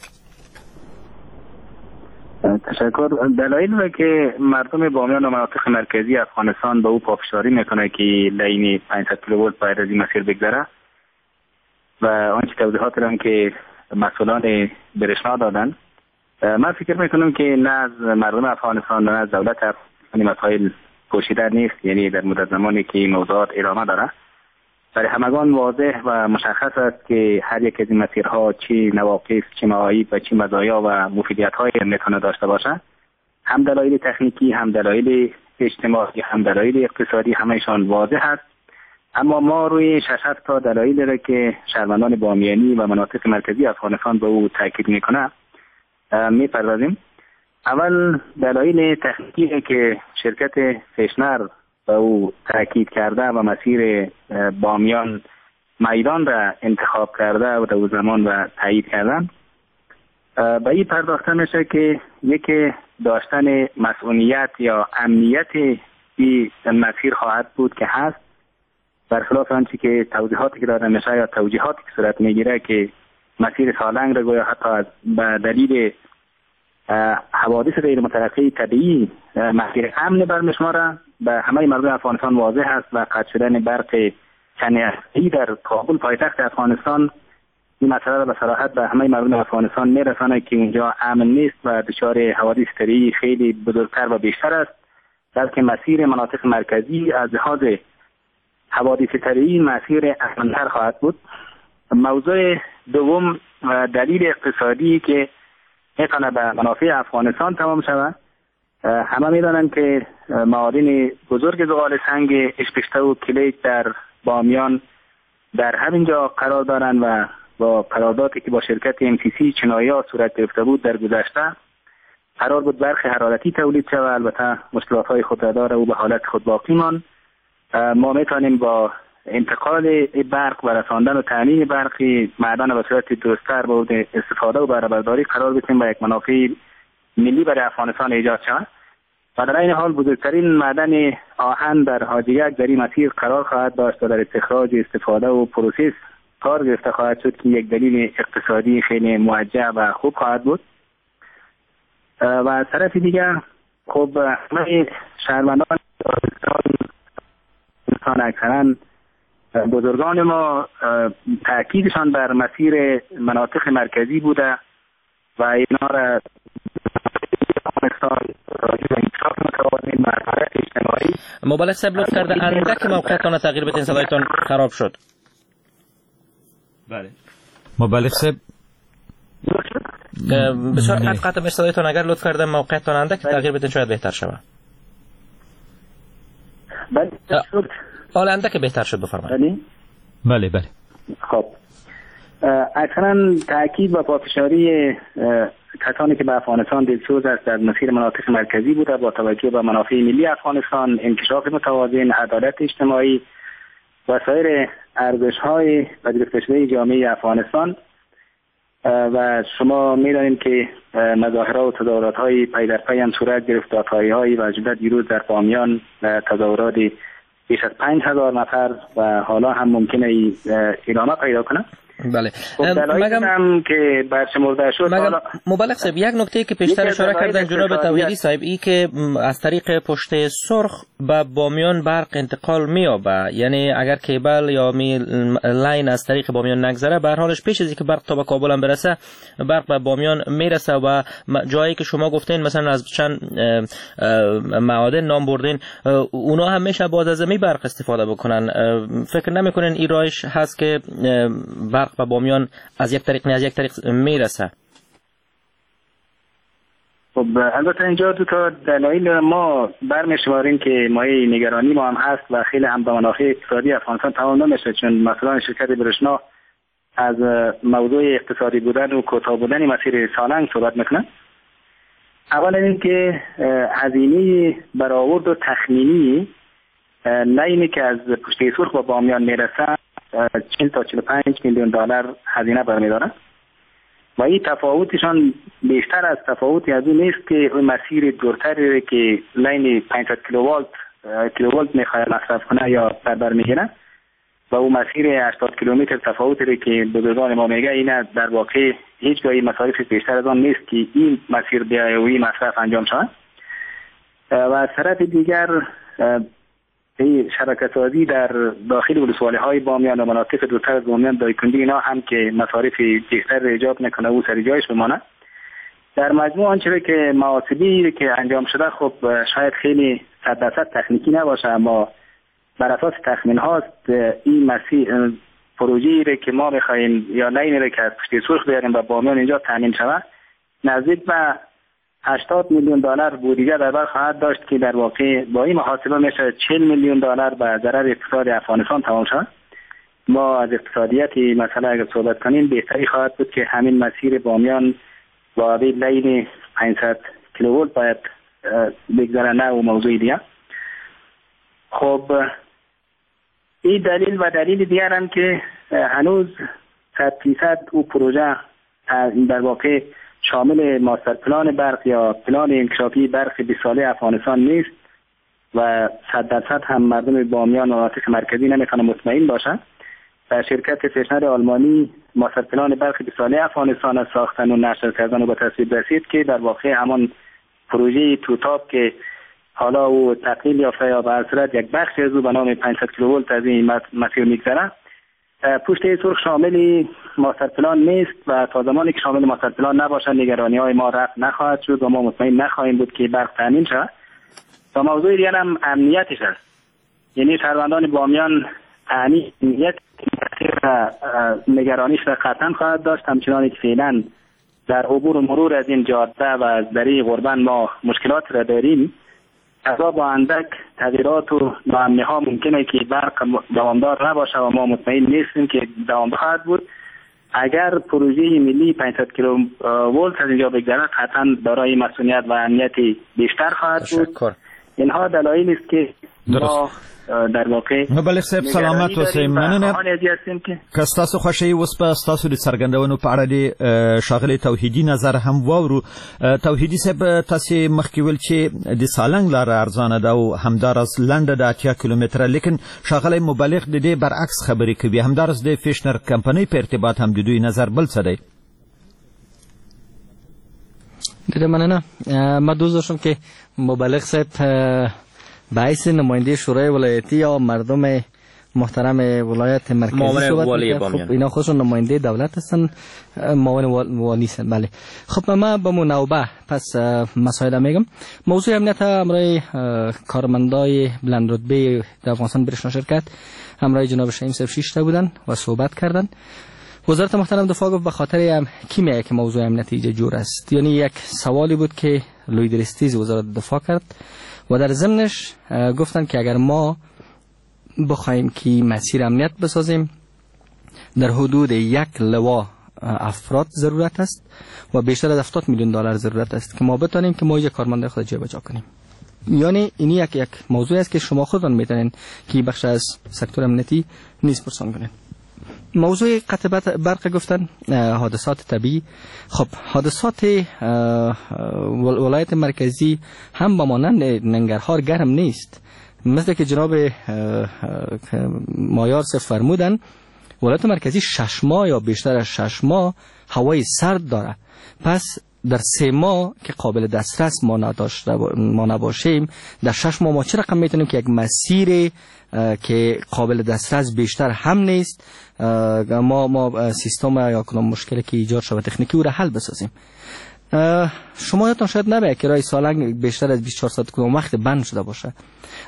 تشکر. دلایل را که مردم بامیان و مناطق مرکزی افغانستان به او پافشاری میکنه که line 500 کیلوولت باید از این مسیر بگذره و آنچه توضیحات را که مسئولان برشنا دادن، من فکر میکنم که نه از مردم افغانستان نه از دولت افغانستان مسائل پوشیده نیست، یعنی در مدت زمانی که این موضوعات ادامه داره برای همگان واضح و مشخص است که هر یک از این مسیرها چه نواقص، چه معایب و چه مزایا و مفیدیت‌های میتونه داشته باشه. هم دلایل تکنیکی، هم دلایل اجتماعی، هم دلایل اقتصادی، همه‌شان واضح است. اما ما روی 6 تا دلایل را که شهروندان بامیانی و مناطق مرکزی افغانستان به او تاکید میکنه میپردازیم. اول دلایل تکنیکی که شرکت فشنر به او تاکید کرده و مسیر بامیان میدان را انتخاب کرده و در او زمان و تایید کردن، به این پرداخته میشه که یکی داشتن مسئولیت یا امنیت این مسیر خواهد بود که هست، برخلاف آنچه که توضیحاتی که داده میشه یا توجیهاتی که صورت میگیره که مسیر سالنگ را گویا حتی به دلیل حوادث غیر مترقی طبیعی مسیر امن برمیشماره. به همه مردم افغانستان واضح است و قطع شدن برق چند در کابل پایتخت افغانستان این مسئله را به صراحت به همه مردم افغانستان میرسانه که اونجا امن نیست و دچار حوادث طبیعی خیلی بزرگتر و بیشتر است، بلکه مسیر مناطق مرکزی از لحاظ حوادث طبیعی مسیر امن‌تر خواهد بود. موضوع دوم دلیل اقتصادی که میتونه به منافع افغانستان تمام شود. همه میدانند که معادن بزرگ زغال سنگ اشپشته و کلیک در بامیان در همینجا قرار دارند و با قراردادی که با شرکت MCC چنایا صورت گرفته بود در گذشته قرار بود برق حرارتی تولید شود. البته مشکلات های خود را داره و به حالت خود باقی ماند. ما میتونیم با انتقال برق و رساندن و تامین برق معدن به صورت درست‌تر به استفاده و بهره برداری قرار بدیم و یک منافع ملی برای افغانستان ایجاد شود. و در این حال بزرگترین معدن آهن در حاجیک در این مسیر قرار خواهد داشت و در استخراج، استفاده و process کار گرفته خواهد شد که یک دلیل اقتصادی خیلی موجه و خوب خواهد بود. و از طرف دیگر خب همه شهروندان اکثرا بزرگان ما تاکیدشان بر مسیر مناطق مرکزی بوده و اینا را مبلغ صاحب لطف کرده اندک موقعتان تغییر بدین، صدایتان خراب شد. بله مبلغ صاحب بسیار قطع قطع صدایتان، اگر لطف کرده موقعتان اندک تغییر بدین شاید بهتر شود. بله شد. حالا اندک بهتر شد، بفرمایید. بله بله. خب اکثرا تاکید و پافشاری کسانی که به افغانستان دلسوز است در مسیر مناطق مرکزی بوده با توجه به منافع ملی افغانستان، انکشاف متوازن، عدالت اجتماعی و سایر ارزش‌های پذیرفته شده جامعه افغانستان. و شما می‌دانید که مظاهره و تظاهرات‌های پی در پی هم صورت گرفت، دادخواهی‌های و جمله دیروز در بامیان تظاهرات بیش از 5000 نفر و حالا هم ممکنه ادامه پیدا کنه. بله. مگم که برشمرده شد. مبلغ صاحب، یک نکته که پیشتر اشاره کردن جناب توحیدی صاحب، ای که از طریق پشت سرخ به بامیان برق انتقال می‌یابه، یعنی اگر کیبل یا می line از طریق بامیان نگذره، به هر حالش پیش از اینکه برق تا به کابل هم برسه، برق به بامیان میرسه و جایی که شما گفتین مثلا از چند معادن نام بردین، اونا هم میشه باز از می برق استفاده بکنن. فکر نمی‌کنین این رایش هست که برق و بامیان از یک طریق نه از یک طریق میرسه؟ خب البته اینجا دو تا دلایل ما برمی‌شماریم که مایه نگرانی ما هم هست و خیلی هم به منافع اقتصادی افغانستان تمام نمیشه، چون مثلا شرکت برشنا از موضوع اقتصادی بودن و کوتاه بودن مسیر سالنگ صحبت میکنه. اولا اینکه هزینه برآورد و تخمینی لاینی که از پشته سرخ با بامیان میرسه 40 تا 45 میلیون دلار هزینه برمی‌داره و این تفاوتشان بیشتر از تفاوتی از اون نیست که اون مسیر دورتری که line 500 کیلوولت میخواد مصرف کنه یا بر میگیره و اون مسیر 80 کیلومتر تفاوتی که بزرگان ما میگه این در واقع هیچ جایی مصارف بیشتر از آن نیست که این مسیر بیایه و این مصرف انجام شود. و از طرف دیگر شبکه‌سازی در داخل ولسوالی‌های بامیان و مناطق دورتر از بامیان، دایکندی اینا هم که مصارف بیشتر ایجاب میکنه و سر جایش بمانه. در مجموع آنچه که محاسبه‌ای که انجام شده خب شاید خیلی 100% تکنیکی نباشه، اما بر اساس تخمین هاست این مسیر پروژه‌ای که ما می‌خواهیم یا لاینی رو که از پشت سرخ بیاریم و بامیان اینجا تامین شود نزدیک به 80 میلیون دلار بودجه در بر خواهد داشت که در واقع با این محاسبه میشه 40 میلیون دلار به ضرر اقتصاد افغانستان تمام شد. ما از اقتصادیت مسئله اگر صحبت کنیم بهتری خواهد بود که همین مسیر بامیان با line 500 کیلوولت باید بگذره، نه و موضوع دیگه. خب این دلیل و دلیل دیگر هم که هنوز 100% او پروژه در واقع شامل master plan برق یا پلان انکشافی برق 20 ساله افغانستان نیست و 100% هم مردم بامیان و مناطق مرکزی نمیتونن مطمئن باشند. و شرکت فشنر آلمانی master plan برق 20 ساله افغانستان را ساختن و نشر کردن و به تصویب رسید که در واقع همان پروژه توتاب که حالا او تقلیل یافته یا به هر صورت یک بخش از او به نام 500 کیلوولت از این مسیر میگذره، پشت سرخ شامل master plan نیست و تا زمانی که شامل master plan نباشد نگرانی های ما رفع نخواهد شد و ما مطمئن نخواهیم بود که برق تامین شود. و موضوع دیگر هم امنیتش است، یعنی شهروندان بامیان امنیت نگرانیش را قطعا خواهد داشت، همچنان که فعلا در عبور و مرور از این جاده و از دری غربن ما مشکلات را داریم. ازا با اندک تغییرات و ناامنی ها ممکنه که برق دوامدار نباشه و ما مطمئن نیستیم که دوام خواهد بود. اگر پروژه ملی 500 کیلو ولت از اینجا بگذرد قطعا دارای مسئولیت و امنیت بیشتر خواهد بود. اینها دلایلی است که ما در واقع مبلغ صاحب سلامت اوسئ. مننه که ستاسو خوښه یې اوس به ستاسو د څرګندونو په اړه د ښاغلي توحیدي نظر هم واورو. توحیدي صاحب، تاسې مخکې ویل چې د سالنګ لاره ارزانه ده او همداراز لنډه ده 80 کیلومتره، لیکن ښاغلی مبلغ د دې برعکس خبرې کوي. همداراز د فیشنر کمپنۍ په ارتباط هم د دوی نظر بل څه دی. ډېره مننه. ما دوست داشتم که مبلغ صاحب به حیث نماینده شورای ولایتی یا مردم محترم ولایت مرکزی صحبت می‌کرد. خب اینا خودشون نماینده دولت هستن، معاون والی هستن. بله. خب من با منوبه پس مسائل میگم. موضوع امنیت همراه کارمندای بلند رتبه در افغانستان برشنا شرکت همراه جناب شهیم صاحب 6 تا بودن و صحبت کردن. وزارت محترم دفاع گفت به خاطر هم کی میگه که موضوع امنیتی اینجا جور است، یعنی یک سوالی بود که لوی درستیز وزارت دفاع کرد و در ضمنش گفتن که اگر ما بخوایم که مسیر امنیت بسازیم در حدود یک لوا افراد ضرورت است و بیشتر از 70 میلیون دلار ضرورت است که ما بتانیم که ما اینجا کارمندای خود جابجا کنیم. یعنی این یک موضوع است که شما خودتان میتونین که بخش از سکتور امنیتی نیز پرسان کنین. موضوع قطع برق گفتن، حادثات طبیعی. خب حادثات ولایت مرکزی هم با مانند ننگرهار گرم نیست. مثل که جناب مایار فرمودن، ولایت مرکزی 6 ماه یا بیشتر از 6 ماه هوای سرد داره. پس در 3 ماه که قابل دسترس ما نباشیم، در 6 ماه ما چه رقم میتونیم که یک مسیر که قابل دسترس بیشتر هم نیست، ما سیستم یا کدام مشکلی که ایجاد شود تکنیکی او را حل بسازیم. شما یادتان شاید نباید که راه سالنگ بیشتر از 24 ساعت کدام وقت بند شده باشه.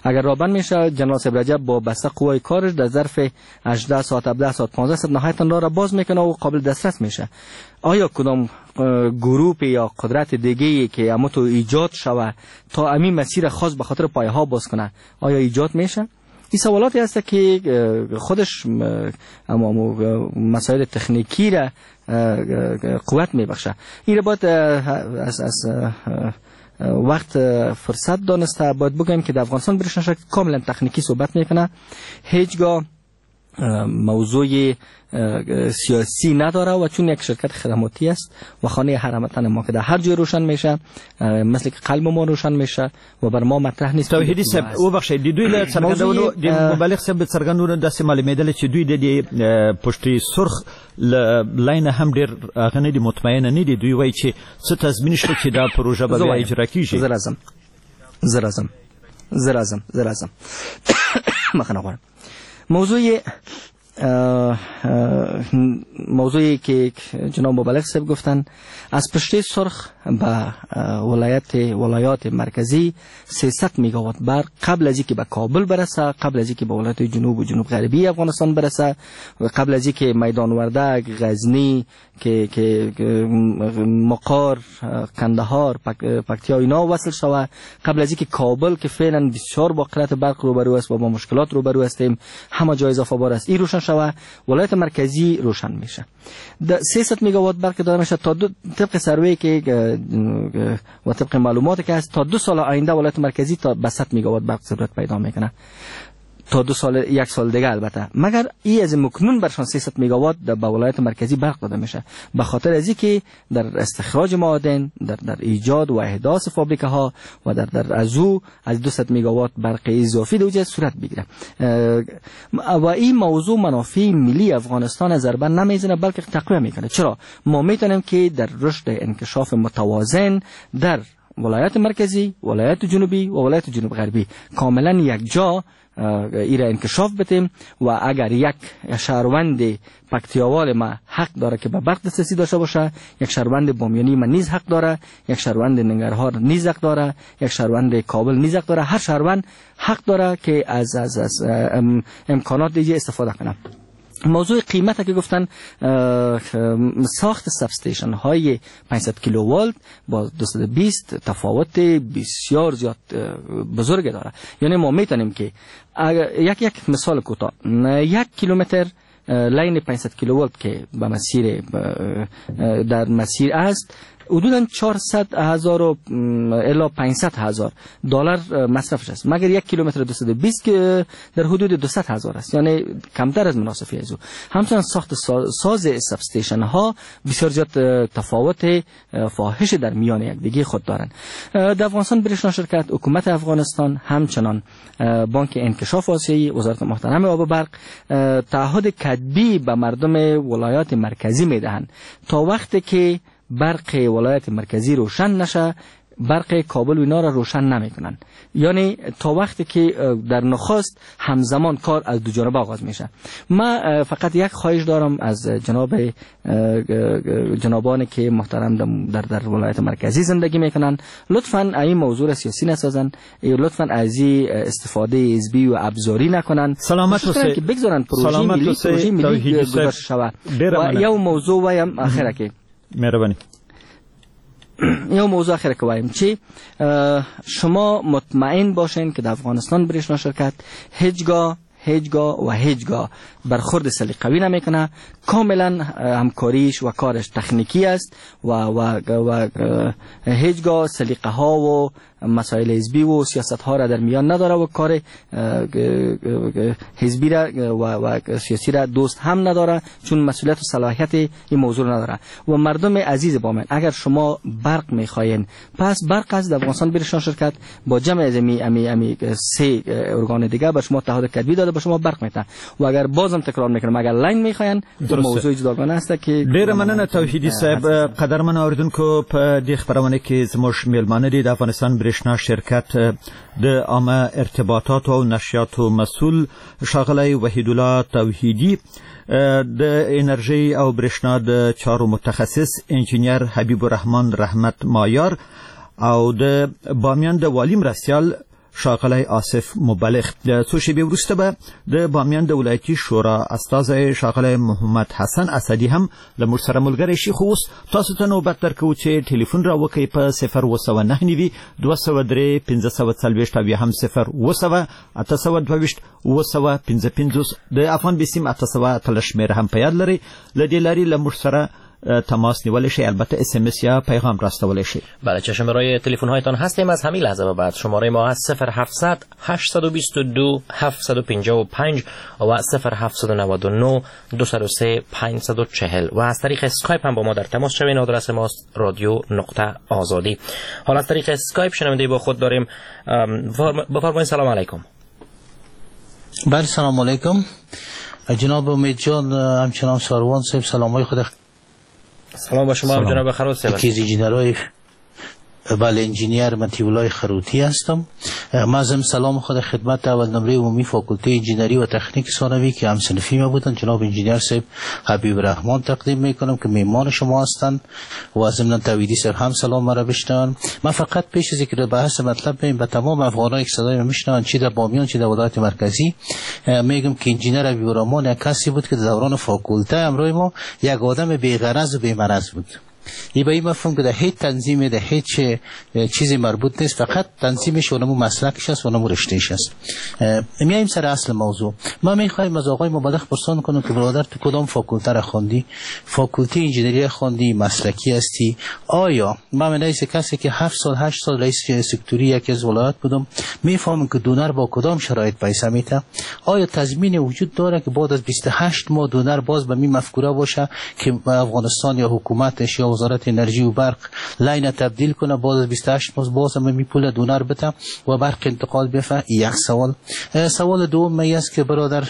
اگر راه بند میشه، جنرال صاحب رجب با بسته قوای کارش در ظرف 18 ساعت، 17 ساعت، 15 ساعت نهایتا راه را باز میکنه و قابل دسترس میشه. آیا کدام گروپ یا قدرت دیگه که اما تو ایجاد شوه تا امی مسیر خاص به خاطر پایه ها باز کنه، آیا ایجاد میشه؟ این سوالاتی هست که خودش مسائل تکنیکی را قوت میبخشه. این را باید از وقت فرصت دانسته باید بگیم که در افغانستان برشنا شرکت کاملا تکنیکی صحبت میکنه، هیچگاه موضوع سیاسی نداره و چون یک شرکت خدماتی است و خانه هر هموطن ما که در هر جای روشن میشه، مثل که قلب ما روشن میشه و بر ما مطرح نیست. توحیدي صاحب وبخښئ، د دوی له څرګندونو، د مبلغ صاحب د څرګندونو داسې معلومېدله چې دوی د دې پشتې سرخ له لاینه هم ډېر هغه نه دي، مطمئنه نه دي. دوی وایي چې څه تضمین شته چې دا پروژه به بیا اجرا کیږي؟ زه راځم مخنه غواړم. موضوعی که جناب مبلغ صاحب گفتن، از پشته سرخ به ولایات مرکزی 300 مگاوات برق قبل از اینکه به کابل برسه، قبل از اینکه به ولایت جنوب و جنوب غربی افغانستان برسه، و قبل از اینکه میدان وردک، غزنی، که مقار، قندهار، پکتیا اینا وصل شوه، قبل از اینکه کابل که فعلا بسیار با قلت برق روبرو است و با مشکلات روبرو هستیم، همه جای اضافه بار است، این روشن شوه، ولایت مرکزی روشن میشه. 300 مگاوات برق داده میشه تا طبق سروی که و طبق معلوماتی که هست تا 2 سال آینده ولایت مرکزی تا به 100 مگاوات برق ضرورت پیدا میکنه، تا 2 سال، 1 سال دیگه البته. مگر ای از مکنون برشان 300 مگاوات به ولایت مرکزی برق داده میشه، به خاطر از اینکه در استخراج معادن، در ایجاد و احداث فابریکه ها و در از او از 200 مگاوات برق اضافی دوجه صورت بگیره. و این موضوع منافع ملی افغانستان ضربه نمیزنه بلکه تقویه میکنه. چرا؟ ما میتونیم که در رشد انکشاف متوازن در ولایت مرکزی، ولایت جنوبی و ولایت جنوب غربی کاملا یک جا ایره انکشاف بدیم و اگر یک شهروند پکتیاوال ما حق داره که به برق دسترسی داشته باشه، یک شهروند بامیانی ما نیز حق داره، یک شهروند ننگرهار نیز حق داره، یک شهروند کابل نیز حق داره، هر شهروند حق داره که از از از امکانات دیگه استفاده کنه. موضوع قیمت که گفتن، ساخت substation های 500 کیلوولت با 220 تفاوت بسیار زیاد بزرگ داره. یعنی ما میتونیم که یک مثال کوتاه، 1 کیلومتر line 500 کیلوولت که به مسیر در مسیر است، حدوداً 400,000 الی 500,000 دلار مصرفش است، مگر 1 کیلومتر 220 که در حدود 200,000 است، یعنی کمتر از مناسفی از او. همچنین ساخت ساز substation ها بسیار زیاد تفاوت فاحش در میان یکدیگه خود دارند. در افغانستان برشنا شرکت، حکومت افغانستان، همچنان بانک انکشاف آسیایی، وزارت محترم آب و برق تعهد کتبی به مردم ولایات مرکزی میدهند تا وقتی که برق ولایت مرکزی روشن نشه، برق کابل و اینا را روشن نمیکنن. یعنی تا وقتی که در نخست همزمان کار از دو جانب آغاز میشه. ما فقط یک خواهش دارم از جنابان که محترم در ولایت مرکزی زندگی میکنن، لطفاً این موضوع را سیاسی نسازن، لطفاً از این استفاده حزبی و ابزاری نکنن. سلامت اوسئ که بگذارن پروژه ملی گذاشته شود. و یو موضوع وایم اخره که مهربانی، یو موضوع آخر که وایم چی، شما مطمئن باشین که در افغانستان برشنا شرکت هیچگاه هیچگاه و هیچگاه برخورد سلیقوی نمیکنه، کاملا همکاریش و کارش تکنیکی است و و و هیچگاه سلیقه ها و مسائل حزبی و سیاست ها را در میان نداره و کار حزبی را و سیاسی را دوست هم نداره، چون مسئولیت و صلاحیت این موضوع نداره. و مردم عزیز بامیان، اگر شما برق میخواین، پس برق از افغانستان برشان شرکت با جمع از امی سه ارگان دیگه به شما تعهد کتبی داده، به شما برق میده. و اگر بازم تکرار میکنم، اگر لاین میخواین، موضوع جداگانه است که ډیره مننه توحیدي صاحب. قدرمن اوریدونکو، په دې خپرونه کې زموږ میلمانه دي د افغانستان برښنا شرکت د عامه ارتباطاتو او نشریاتو مسؤل ښاغلی وحیدالله توحیدي، د انرژۍ او برښنا د چارو متخصص انجینر حبیب الرحمن رحمت مایار او د بامیان د والي مرستیال ښاغلی آصف مبلغ. د څو شېبې وروسته به د بامیان د ولایتي شورا استازی ښاغلی محمد حسن اسدي هم له موږ سره ملګری شي. خو اوس تاسو ته نوبت درکوو چې ټلیفون را وکړئ په 0799 203 540 او یا هم 0700 822 755. د افغان بیسیم 818 شمېره هم په یاد لرئ. له دې لارې له موږ سره تماس نیولی شئ، البته اس ام اس یا پیغام راستولی شئ. بله، چشم برای تلفن هایتان هستیم. از همین لحظه به بعد شماره ما هست 0700 822 755 و 0799 203 540 و از طریق اسکایپ هم با ما در تماس شوین. آدرس ماست رادیو.آزادی. حالا از طریق اسکایپ شنونده با خود داریم. بفرمایید. سلام علیکم. بله، سلام علیکم جناب امید جان، همچنان ساروان صاحب، سلام های خود. سلام با شما هم جناب خروت صاحب. یکی از انجینرهای، بله، انجینیر مطیع‌الله خروتی هستم. ما ضمن سلام خود خدمت اول نمره عمومی فاکولته انجینری و تکنیک ثانوی که هم صنفی ما بودن جناب انجینیر صاحب حبیب رحمان تقدیم میکنم که میمان شما هستند و ضمن توحیدی صاحب هم سلام مرا بشنون. من فقط پیش از اینکه بحث مطلب بریم به تمام افغانایی که صدای ما میشنون، چی در بامیان چی در ولایت مرکزی، میگم که انجینیر حبیب رحمان یک کسی بود که در دوران فاکولته همراه ما یک آدم بی‌غرض و بی‌مرض بود. ای به این مفهوم که در هیچ تنظیم، در هیچ چیزی مربوط نیست، فقط تنظیمش اونمو مسلکش است، اونمو رشتهش است. میایم سر اصل موضوع. ما میخوایم از آقای مبلغ پرسان کنم که برادر تو کدام فاکولته را خواندی؟ فاکولته انجینری خواندی، مسلکی هستی؟ آیا من رئیس کسی که 7 سال 8 سال رئیس سکتوری یکی از ولایت بودم، میفهمم که دونر با کدام شرایط پیسه میته؟ آیا تضمین وجود داره که بعد از 28 ماه دونر باز به می مفکوره باشه که افغانستان یا حکومتش یا وزارت انرژی و برق line تبدیل کنه، بعد از 28 ماه باز هم می پول دونر بده و برق انتقال بفه؟ یک سوال. سوال دوم می است که برادر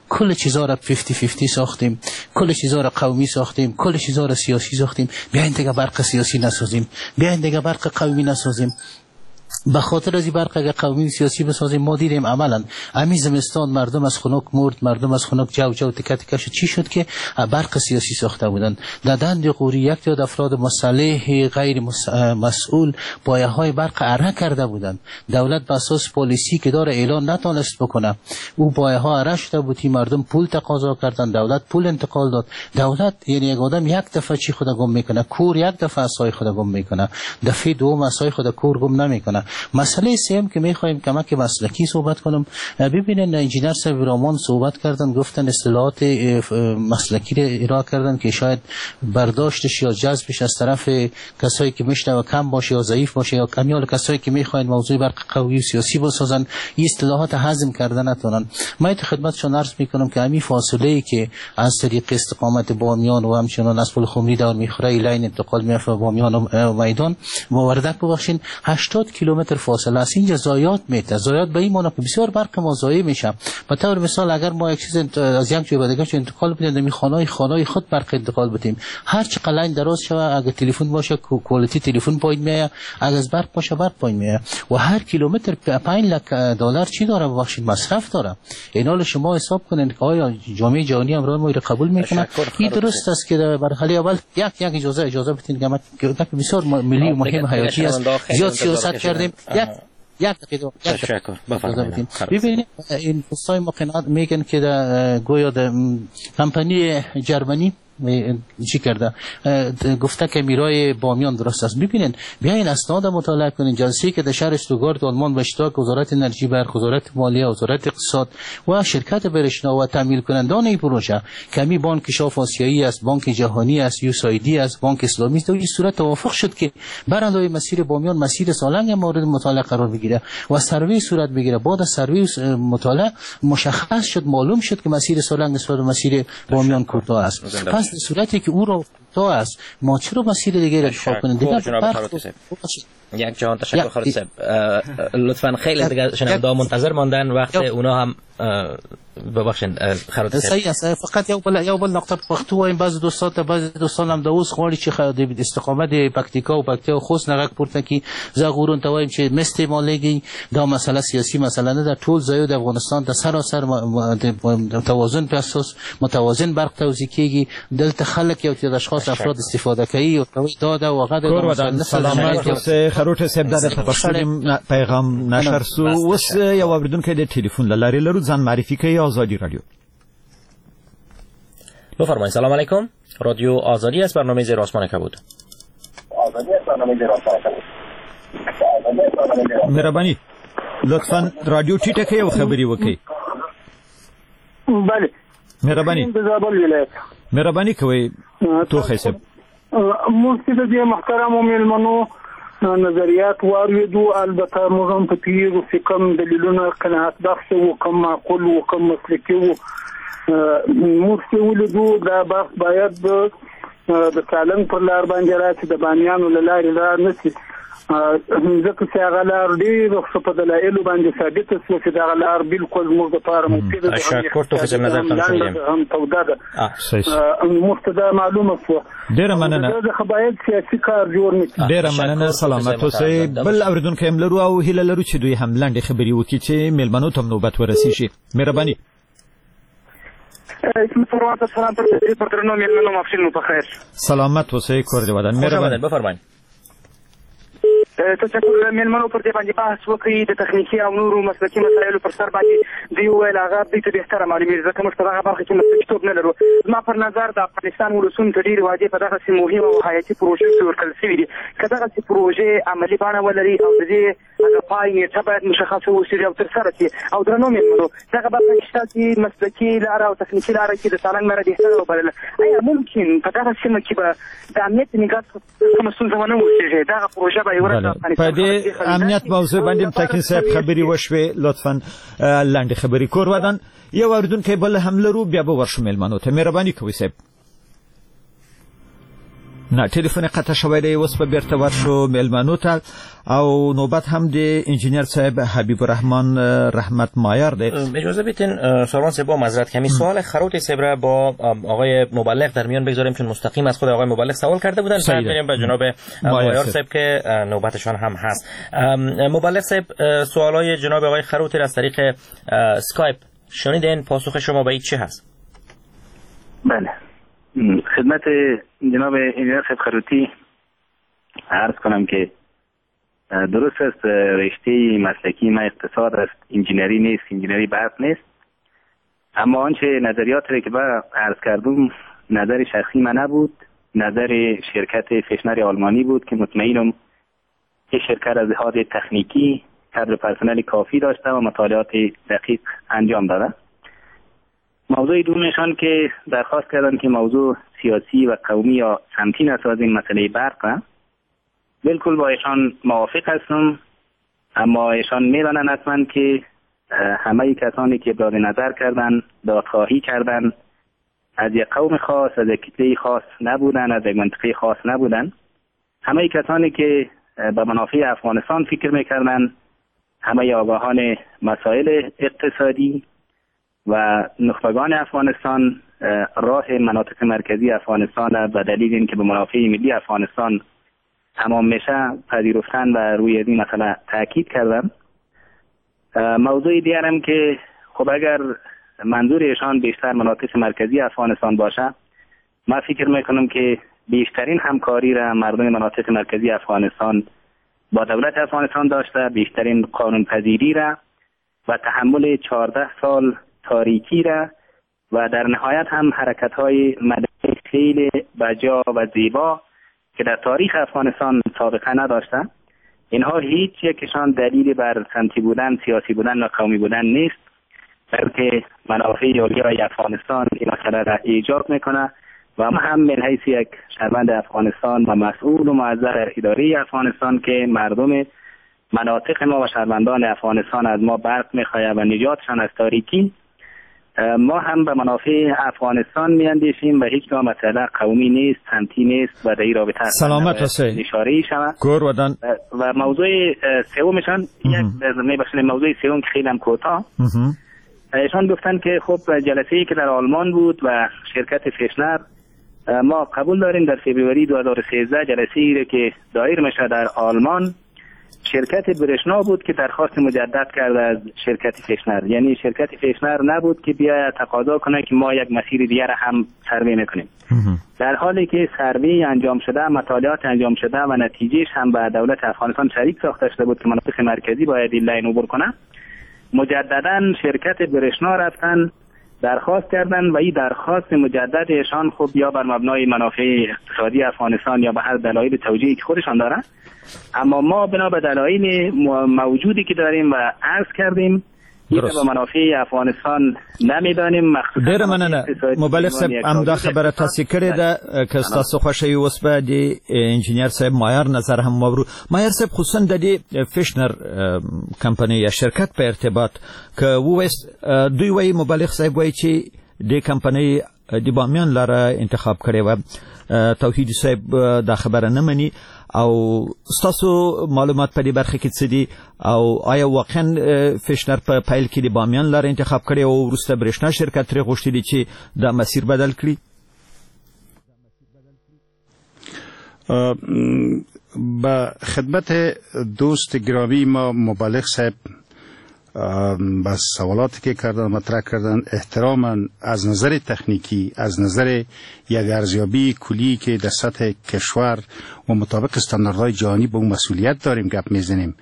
کل چیزا را 50-50 ساختیم، کل چیزا را قومی ساختیم، کل چیزا را سیاسی ساختیم، بیاین دیگه برق سیاسی نسازیم، بیاین دیگه برق قومی نسازیم. به خاطر از این برق اگر قومی سیاسی بسازیم، ما دیدیم عملا همین زمستان مردم از خنک مرد، مردم از خنک جو جو تکه تکه شد. چی شد که برق سیاسی ساخته بودن؟ در دند قوری یک تعداد افراد مسلح غیر مسئول پایه های برق اره کرده بودند. دولت به اساس پالیسی که داره اعلان نتونست بکنه، او پایه ها اره شده بود، مردم پول تقاضا کردن، دولت پول انتقال داد. دولت یعنی یک آدم یک دفعه چی خود گم میکنه؟ کور یک دفعه عصای خود گم میکنه، دفعه دوم عصای خود کور گم نمیکنه. مسئله سوم که میخوایم کمک مسلکی صحبت کنم، ببینن انجینر صاحب رامان صحبت کردن، گفتن اصطلاحات مسلکی را ارائه کردن که شاید برداشتش یا جذبش از طرف کسایی که میشنوه کم باشه یا ضعیف باشه یا کمیال کسایی که میخواین موضوع برق قوی و سیاسی بسازن، این اصطلاحات هضم کردن نتونن. من خدمتشون عرض میکنم که همین فاصله ای که از طریق استقامت بامیان و همچنان از پل خمری دور میخوره line انتقال میافه بامیان و میدان و وردک، ببخشین 80 کیلومتر فاصله است. اینجا ضایعات میته، ضایعات به این معنی که بسیار برق ما ضایع میشه. به طور مثال اگر ما یک چیز از یک جای به دیگه انتقال بدیم، در خانه خود برق انتقال بدیم، هر چقدر line دراز شوه، اگر تلفن باشه quality تلفن پایین میاد، اگر از برق باشه برق پایین میاد و هر کیلومتر 5 لک دلار چی داره، ببخشید مصرف داره. اینا شما حساب کنین که آیا جامعه جهانی هم ما رو قبول میکنه؟ این درست است که در مرحله اول یک اجازه بدین که بسیار ملی و مهم حیاتی است. زیاد سیاست کردیم. یک دقیقه تشکر. بفرمایید. ببینید این دوستای ما قناعت میگن که در گویا در کمپانی جرمنی چی کرده، گفته که میرای بامیان درست است. ببینین، بیاین اسناد مطالعه کنین. جلسه که در شهر استوگارت آلمان به اشتراک وزارت انرژی برق، وزارت مالیه، وزارت اقتصاد و شرکت برشنا و تمویل کنندان این پروژه کمی بانک شاف آسیایی است، بانک جهانی است، USAID است، بانک اسلامی است، در این صورت توافق شد که برای مسیر بامیان مسیر سالنگ مورد مطالعه قرار بگیره و سروی صورت بگیره. بعد از سروی مطالعه مشخص شد، معلوم شد که مسیر سالنگ نسبت به مسیر بامیان کوتاه است. پس در صورتی که او را کوتاه است، ما چرا مسیر دیگه را انتخاب کنیم؟ دیگه یک جهان تشکر خالد صاحب. لطفا خیلی دیگه شنونده منتظر ماندن، وقت اونا هم ببخشید خالد صاحب. صحیح است. فقط یو بل نقطه پښتو وایم. بعضې دوستان ته بعضې دوستان هم د اوس غواړي چې د استقامت د پکتیکا او پکتیا او خوست نه غږ پورته کړي. زه هغو ورونو ته وایم چې مه استعمالېږئ، دا مسله سیاسي مسله نه ده. ټول ځایو د افغانستان ته سراسر توازن په اساس متوازن برق توزیع کېږي. دلته خلک یو تعداد اشخاص افراد استفاده کوي او دا ده او هغه ده. سلامت اوسئ خروټی صاحب. دا د پښتو پیغام نشر سو. اوس یو اوریدونکی د ټلیفون له لارې لرو، ځان معرفي کوي. آزادی رادیو. بفرمایید. سلام علیکم. رادیو آزادی است، برنامه زیر آسمان کبود. مهرباني لطفاً رادیو ټیټه کړئ او خبرې وکړئ. بله مهرباني مهرباني کوئ توخی صاحب. موږ چې د دې محترمو مېلمنو نظریات واورېدو، البته موږ هم په پوهېږو چې کوم دلیلونه قناعت بخش وو، کوم معقول وو، کوم مسلکي وو. موږ چې ولیدو دا بحث باید د سالنګ پر لار باندې راشي، د بامیانو له لارې را نه شي، ځکه چې هغه لار ډېره ښه په دلایلو باندې ثابته شوه چې دغه لار بالکل موږ دپاره مفیده ده، هم توده ده. موږ ته دا معلومه شوه. ډېره مننه. څخه باید سیاسي کار جوړ نه کړي. ډېره مننه، سلامت اوسئ. بل اورېدونکی هم لرو او هیله لرو چې دوی هم لنډې خبرې وکړي چې مېلمنو ته هم نوبت ورسېږي. مهرباني. سلامت اوسئ، کور دې ودان. مهرباني. بفرمایئ. تشکر مېلمنو پر دې باندې بحث وکړي د تخنیکي او نورو مسلکي مسایلو پر سر باندې. دوی وویل هغه دوی ته بهتره معلومېږي، ځکه موږ په دغه برخه کې مسلکیتوب نه لرو. زما پر نظر د افغانستان ولسونو ته ډېرې وعدې په دغسې مهمه او حیاتي پروژو کې ورکړل شوې دي. که دغسې پروژې عملي بڼه ولري او د دې هغه پای نېټه باید مشخصه اوسېږي او ترسره شي. او درنو مېلمنو دغه برخه کې ستاسې مسلکي لاره او تخنیکي لاره کې د سالنګ لاره بهتره وبلله. ایا ممکن په دغه سیمه کې به د امنیت نګاه کومه ستونزه ونه اوسېږي؟ دغه پروژه به یوه ورځ په دې امنیت موضوع باندې تکین صاحب خبرې وشوې، لطفاً لنډې خبرې. کور ودان. یو اورېدونکی بل هم لرو، بیا به ورشو مېلمنو ته. مهرباني کوئ صاحب. نه ټلیفون قطع شوی دی، اوس به بیرته ورشو مېلمنو ته. او نوبت هم د انجینر صاحب حبیب الرحمن رحمت مایار دی. اجازه بدین ساروان صاحب با معذرت کمی سوال خروتی صاحب را با آقای مبلغ در میان بگذاریم، چون مستقیم از خود آقای مبلغ سوال کرده بودن. بعد بریم به جناب مایار صاحب که نوبتشان هم هست. مبلغ صاحب، سوالای جناب آقای خروتی را از طریق اسکایپ شنیدین، پاسخ شما به این چه هست؟ بله، خدمت جناب انجینر صاحب خروتی عرض کنم که درست است رشته مسلکی ما اقتصاد است، انجینری نیست، انجینری برق نیست، اما آنچه نظریات را که با عرض کردم نظر شخصی من نبود، نظر شرکت فشنر آلمانی بود که مطمئنم که شرکت از لحاظ تکنیکی کادر پرسنل کافی داشته و مطالعات دقیق انجام داده. موضوع دومشان که درخواست کردن که موضوع سیاسی و قومی یا سمتی نسازیم مسئله برق، بالکل با ایشان موافق هستم، اما ایشان میدانند حتما که همه کسانی که ابراز نظر کردن، دادخواهی کردن، از یک قوم خاص، از یک کتله خاص نبودن، از یک منطقه خاص نبودن. همه کسانی که به منافع افغانستان فکر میکردن، همه آگاهان مسائل اقتصادی و نخبگان افغانستان راه مناطق مرکزی افغانستان به دلیل اینکه به منافع ملی افغانستان تمام میشه پذیرفتن و روی این مسئله تاکید کردن. موضوع دیگرم که خب اگر منظور ایشان بیشتر مناطق مرکزی افغانستان باشه، من فکر میکنم که بیشترین همکاری را مردم مناطق مرکزی افغانستان با دولت افغانستان داشته، بیشترین قانون پذیری را و تحمل 14 سال تاریکی را و در نهایت هم حرکت‌های مدنی فعل بجا و زیبا که در تاریخ افغانستان سابقه نداشته. اینها هیچ یکشان دلیل بر سمتی بودن، سیاسی بودن و قومی بودن نیست، بلکه منافع عالی افغانستان این مسئله را ایجاب میکنه و ما هم من حیث یک شهروند افغانستان و مسئول و موظف در اداره افغانستان که مردم مناطق ما و شهروندان افغانستان از ما برق میخواهد و نجاتشان از تاریکی، ما هم به منافع افغانستان میاندیشیم و هیچگاه مسئله قومی نیست، سمتی نیست و در این رابطه سلامت هستی اشاره شود. و موضوع سومشان یک میبخشید، موضوع سوم که خیلی هم کوتاه، ایشان گفتن که خب جلسه‌ای که در آلمان بود و شرکت فیشنر، ما قبول داریم در فوریه 2013 جلسه‌ای که دایر میشه در آلمان، شرکت برشنا بود که درخواست مجدد کرد از شرکت فیشنر، یعنی شرکت فیشنر نبود که بیاید تقاضا کنه که ما یک مسیر دیگر هم سروی میکنیم، در حالی که سروی انجام شده، مطالعات انجام شده و نتیجهش هم به دولت افغانستان شریک ساخته شده بود که مناطق مرکزی باید این line عبور کنه. مجددا شرکت برشنا رفتن درخواست کردن و این درخواست مجدد ایشان خب یا بر مبنای منافع اقتصادی افغانستان یا به هر دلایل توجیهی که خودشان دارن، اما ما بنا به دلایل موجودی که داریم و عرض کردیم این به منافع افغانستان نمیدانیم. ډیره مننه مبلغ صاحب، همدا خبره تاسې کړې ده. که ستاسو خوښه وي اوس به د انجینر صاحب مایار نظر هم واورو. مایار صاحب، خصوصا د دې فیشنر کمپنۍ یا شرکت په ارتباط که ووایست، دوی وایي، مبلغ صاحب وایي چې دې کمپنۍ د بامیان لاره انتخاب کړې وه، توحیدي صاحب دا خبره نه مني، او ستاسو معلومات په دې برخه کې څه دي؟ او آیا واقعا فیشنر په پیل کې د بامیان لاره انتخاب کړې او وروسته برېښنا شرکت ترې غوښتي دي چې دا مسیر بدل کړي؟ به خدمت دوست گرامی ما مبلغ صاحب به سوالاتی که کردن مطرح کردن، احتراما از نظر تکنیکی، از نظر یک ارزیابی کلی که در سطح کشور و مطابق استانداردهای جهانی به اون مسئولیت داریم گپ میزنیم،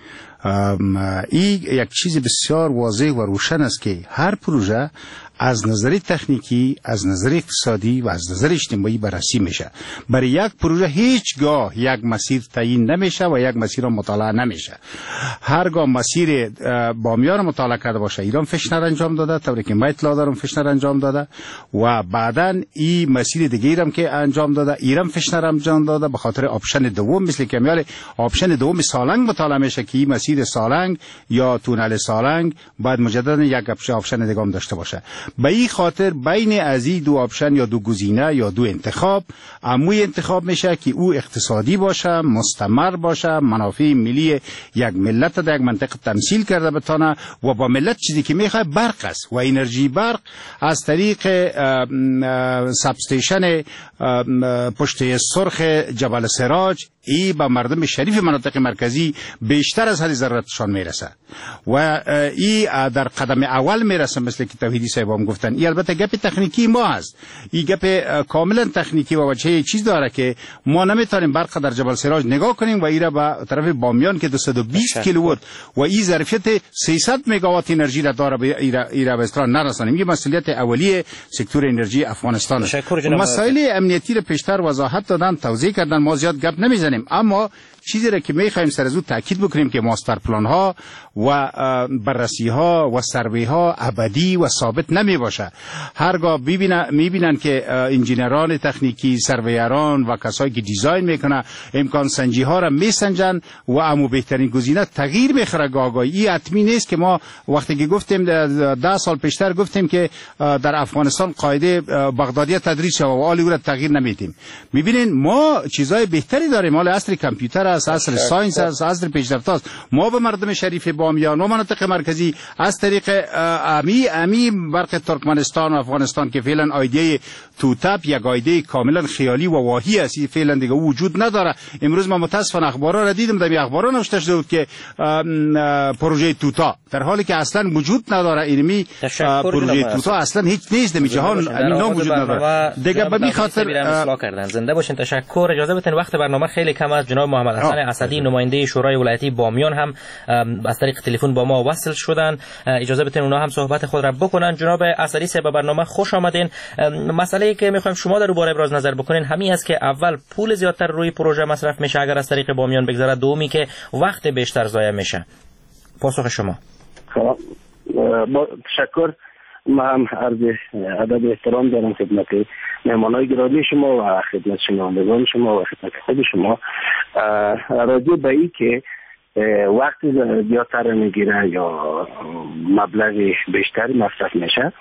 این یک چیز بسیار واضح و روشن است که هر پروژه از نظر تکنیکی، از نظر اقتصادی و از نظر اجتماعی بررسی میشه. برای یک پروژه هیچگاه یک مسیر تعیین نمیشه و یک مسیر مطالعه نمیشه. هرگاه مسیر بامیان مطالعه کرده باشه، ایران فشنر انجام داده، طوری که من اطلاع دارم فشنر انجام داده و بعداً این مسیر دیگه هم که انجام داده، ایران فشنر انجام داده، به خاطر option دوم، مثل که میال option دوم سالنگ مطالعه میشه که این مسیر سالنگ یا تونل سالنگ بعد مجددا یک option دیگه هم داشته باشه. به این خاطر بین از این دو option یا دو گزینه یا دو انتخاب، اموی انتخاب میشه که او اقتصادی باشه، مستمر باشه، منافع ملی یک ملت در یک منطقه تمثیل کرده بتانه و با ملت چیزی که میخواد برق است و انرژی برق از طریق substation پشت سرخ جبل سراج ای به مردم شریف مناطق مرکزی بیشتر از حد ضرورتشان میرسه و ای در قدم اول میرسه، مثل که توحیدی صاحب هم گفتن. ای البته گپ تکنیکی ما است، ای گپ کاملا تکنیکی و وجهه چیز داره که ما نمیتونیم برق در جبل سراج نگاه کنیم و ای را به طرف بامیان که 220 کیلووات و ای ظرفیت 300 مگاوات انرژی را داره ای را به اصطلاح نرسانیم. این مسئولیت اولیه سکتور انرژی افغانستان است. مسائل امنیتی را پیشتر وضاحت دادن، توضیح کردن، ما زیاد گپ نمیزنیم، اما چیزی را که میخوایم سر از او تاکید بکنیم که master plan ها و بررسی ها و سروی ها ابدی و ثابت نمی باشه. هرگاه میبینن که انجینران تکنیکی، surveyor ان و کسایی که design میکنه امکان سنجی ها را میسنجن و امو بهترین گزینه تغییر میخوره. گاهی این حتمی نیست که ما وقتی که گفتیم 10 سال پیشتر گفتیم که در افغانستان قاعده بغدادی تدریس شود و حالی او را تغییر نمیدیم. میبینین ما چیزای بهتری داریم، حال عصر کامپیوتر است، عصر science است، عصر پیشرفت است. ما به مردم شریف بامیان و مناطق مرکزی از طریق امی برق ترکمنستان و افغانستان که فعلا idea ی توتپ یک idea ی کاملا خیالی و واهی است، فعلا دیگه وجود نداره. امروز ما متاسفانه اخبارا را دیدم، در اخبارا نوشته شده بود که پروژه توتا، در حالی که اصلا وجود نداره. اینمی پروژه توتا اصلا هیچ نیست، در جهان امی نام وجود نداره دیگه. به می خاطر زنده باشین. تشکر. اجازه بدین وقت برنامه برنامه خیلی کم است. جناب محمد حسن اسدی نماینده شورای ولایتی بامیان هم از طریق تلفن با ما وصل شدن. اجازه بدین اونا هم صحبت خود را بکنن. جناب اسدی صاحب به برنامه خوش آمدین. مسئله ای که میخوایم شما در باره ابراز نظر بکنین همین است که اول پول زیادتر روی پروژه مصرف میشه اگر از طریق بامیان بگذره، دومی که وقت بیشتر ضایع میشه. پاسخ شما. با تشکر، ما هم عرض ادب احترام دارم خدمت مهمانای گرامی شما و خدمت شنوندگان شما و خدمت خود شما. راجع به این که وقت زیادتر میگیره یا مبلغ بیشتر مصرف میشه،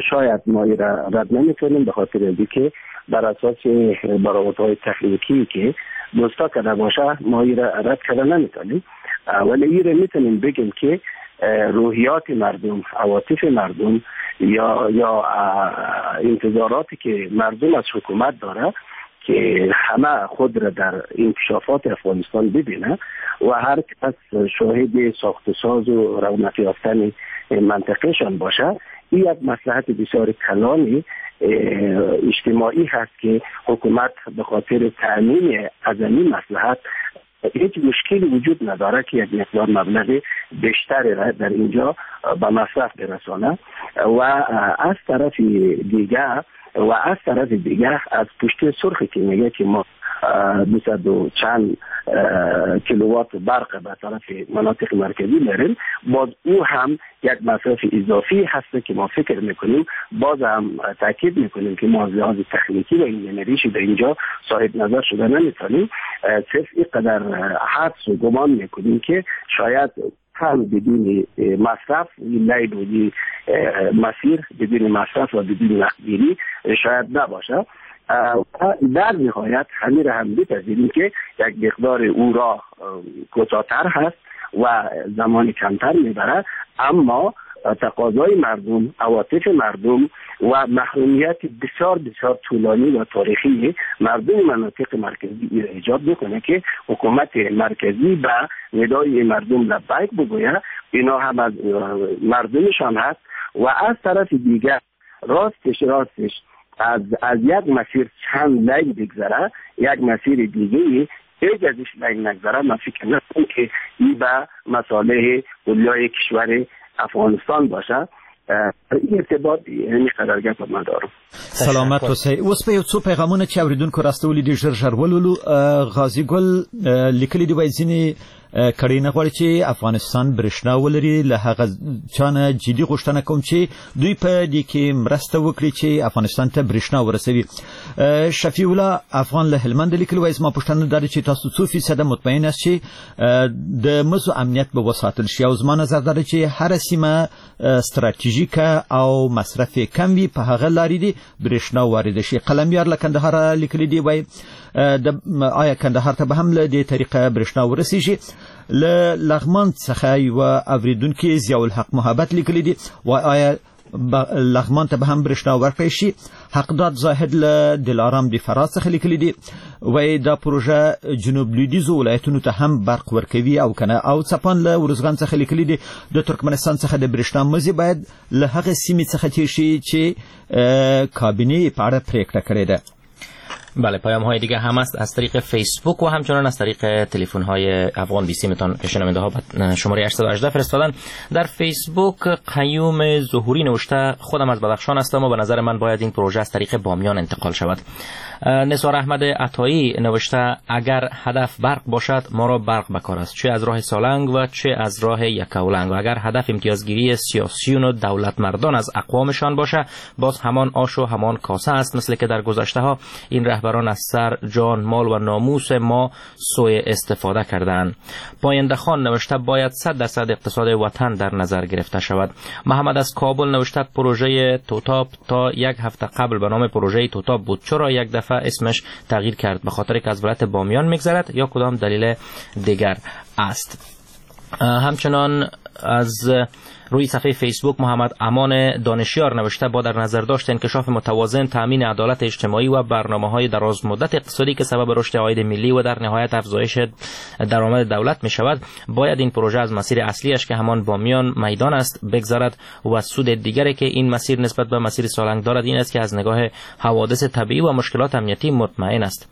شاید ما را رد نمیکنیم به خاطر اینکه بر اساس برآوردهای تکنیکی که دوستا کرده باشه ما را رد کرده نمیتونیم، ولی این را میتونیم بگیم که روحیات مردم، عواطف مردم یا انتظاراتی که مردم از حکومت داره که همه خود را در انکشافات افغانستان ببینه و هر کس شاهد ساخت و ساز و رونق یافتن منطقهشان باشه، این یک مصلحت بسیار کلانی اجتماعی هست که حکومت به خاطر تأمین از این مصلحت هیچ مشکلی وجود نداره که یک مقدار مبلغ بیشتری را در اینجا به مصرف برسانه و از طرف دیگر از پشت سرخی که میگه که ما 200 و چند کیلووات برق به طرف مناطق مرکزی میریم، باز او هم یک مصرف اضافی هست که ما فکر میکنیم، باز هم تاکید میکنیم که ما از لحاظ تکنیکی و انجینریش در اینجا صاحب نظر شده نمیتونیم، صرف اینقدر حدس و گمان میکنیم که شاید هم بدون مصرف لیل و مسیر بدون مصرف و بدون وقتگیری شاید نباشه. در نهایت همین را هم بپذیریم که یک مقدار او را کوتاه‌تر هست و زمان کمتر میبره، اما تقاضای مردم، عواطف مردم و محرومیت بسیار بسیار طولانی و تاریخی مردم مناطق مرکزی ایجاد میکنه که حکومت مرکزی به ندای مردم لبیک بگوید. اینا هم از مردمشان هست و از طرف دیگر راستش از یک مسیر چند line بگذره، یک مسیر دیگه هیچ ازش line نگذره، من فکر نکنم که این به مصالح کلیای کشور افغانستان باشه. این ارتباط یعنی قدر گپ من دارم. سلامت اوسئ. اوس په یو څو پیغامونه چې اوریدونکو راستولي دي ژر ژر ولولو. غازي ګل لیکلي دي، وایي ځینې کړۍ نه غواړي چې افغانستان برښنا ولري، له هغه چا نه جدي غوښتنه کوم چې دوی په دې کې مرسته وکړي چې افغانستان ته برښنا ورسوي. شفیع الله افغان له هلمند لیکلي، وایي زما پوښتنه دا ده چې تاسو څو فیصده مطمئن یاست چې د مزو امنیت به وساتل شي؟ او زما نظر دا ده چې هره سیمه ستراتیژیکه او مصرف یې کم وي، په هغه لارې دي برښنا وارده شي. قلمیار له کندهاره لیکلي دي، وایي آیا کندهار ته به هم له دې طریقه برښنا ورسیږي؟ له لغمان څخه یوه اوریدونکي ضیاءالحق محبت لیکلي دي، وایي آیا لغمان ته به هم برښنا ورکړی شي؟ حقداد زاهد له دلارام د فراه څخه لیکلي دي، وایي دا پروژه جنوب لویدیځو ولایتونو ته هم برق ورکوي او کنه؟ او څپان له ارزګان څخه لیکلي دي، د ترکمنستان څخه د برښنا مزي باید له هغې سیمې څخه تېر شي چې کابینې په اړه پرېکړه کړې ده. بله، پیام های دیگه هم است از طریق فیسبوک و همچنان از طریق تلفن های افغان بی سیمتان که شنونده ها شماره 818 فرستادن. در فیسبوک قیوم ظهوری نوشته خودم از بدخشان هستم و به نظر من باید این پروژه از طریق بامیان انتقال شود. نثار احمد عطایی نوشته اگر هدف برق باشد ما را برق بکار است، چه از راه سالنگ و چه از راه یکاولنگ، و اگر هدف امتیازگیری سیاسیون و دولت مردان از اقوامشان باشه باز همان آش و همان کاسه است، مثل که در گذشته ها این رهبران از سر، جان، مال و ناموس ما سوء استفاده کردند. پاینده خان نوشته باید 100% اقتصاد وطن در نظر گرفته شود. محمد از کابل نوشته پروژه توتاپ تا یک هفته قبل به نام پروژه توتاپ بود، چرا یک دفعه اسمش تغییر کرد؟ به خاطر که از ولایت بامیان میگذرد یا کدام دلیل دیگر است؟ همچنان از روی صفحه فیسبوک محمد امان دانشیار نوشته با در نظر داشت انکشاف متوازن، تامین عدالت اجتماعی و برنامه‌های دراز مدت اقتصادی که سبب رشد عاید ملی و در نهایت افزایش درآمد دولت می شود، باید این پروژه از مسیر اصلیش که همان بامیان میدان است بگذرد و سود دیگری که این مسیر نسبت به مسیر سالنگ دارد این است که از نگاه حوادث طبیعی و مشکلات امنیتی مطمئن است.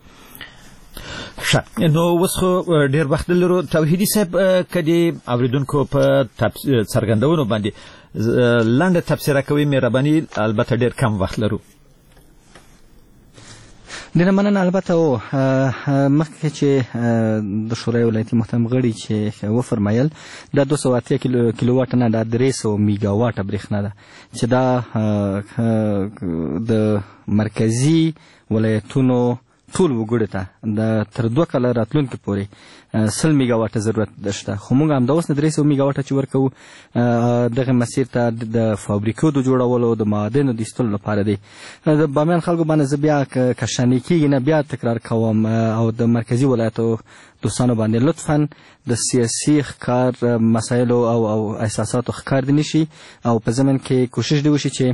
ښه، نو اوس خو ډېر وخت لرو. توحیدي صاحب، که د اورېدونکو په څرګندونو باندې لنډه تبصره کوي مهرباني، البته ډېر کم وخت لرو. ډېره مننه. البته او مخکې چې د شورای ولایتي محترم غړي چې وفرمایل دا 280 کیلوواټه نه، دا 300 میګاواټه برېښنا ده چې دا د مرکزي ولایتونو ټول وګړو ته د تر 2 کاله راتلونکي پورې 100 میګاواټه ضرورت شته، خو موږ همدا اوس نه 300 میګاواټه چې ورکوو دغه مسیر ته د فابریکو د جوړولو، د معادنو د ایستلو لپاره دی. د بامیان خلکو باندې زه بیا کشانې کېږي نه بیا تکرار کوم، او د مرکزي ولایتو دوستانو باندې لطفاً د سیاسي ښکار مسایلو او احساساتو ښکار دې نشي، او په ضمن کې کوشش دې وشي چې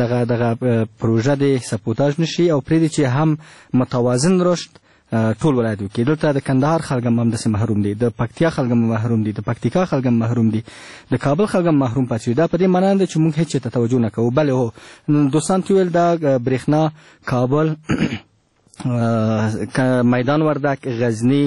دغه پروژه دې سپوتاژ نشي، او پرېږدي چې هم متوازن رشد ټول ولایت وکړي. دلته د کندهار خلک هم همداسې محروم دي، د پکتیا خلک هم محروم دي، د پکتیکا خلک هم محروم دي، د کابل خلک هم محروم پاتې شوي. دا په دې معنا نه ده چې موږ هېڅ چېرته توجه نه کوو. بلې هو، دوستان ته ویل دا برېښنا کابل، میدان وردک، غزنی،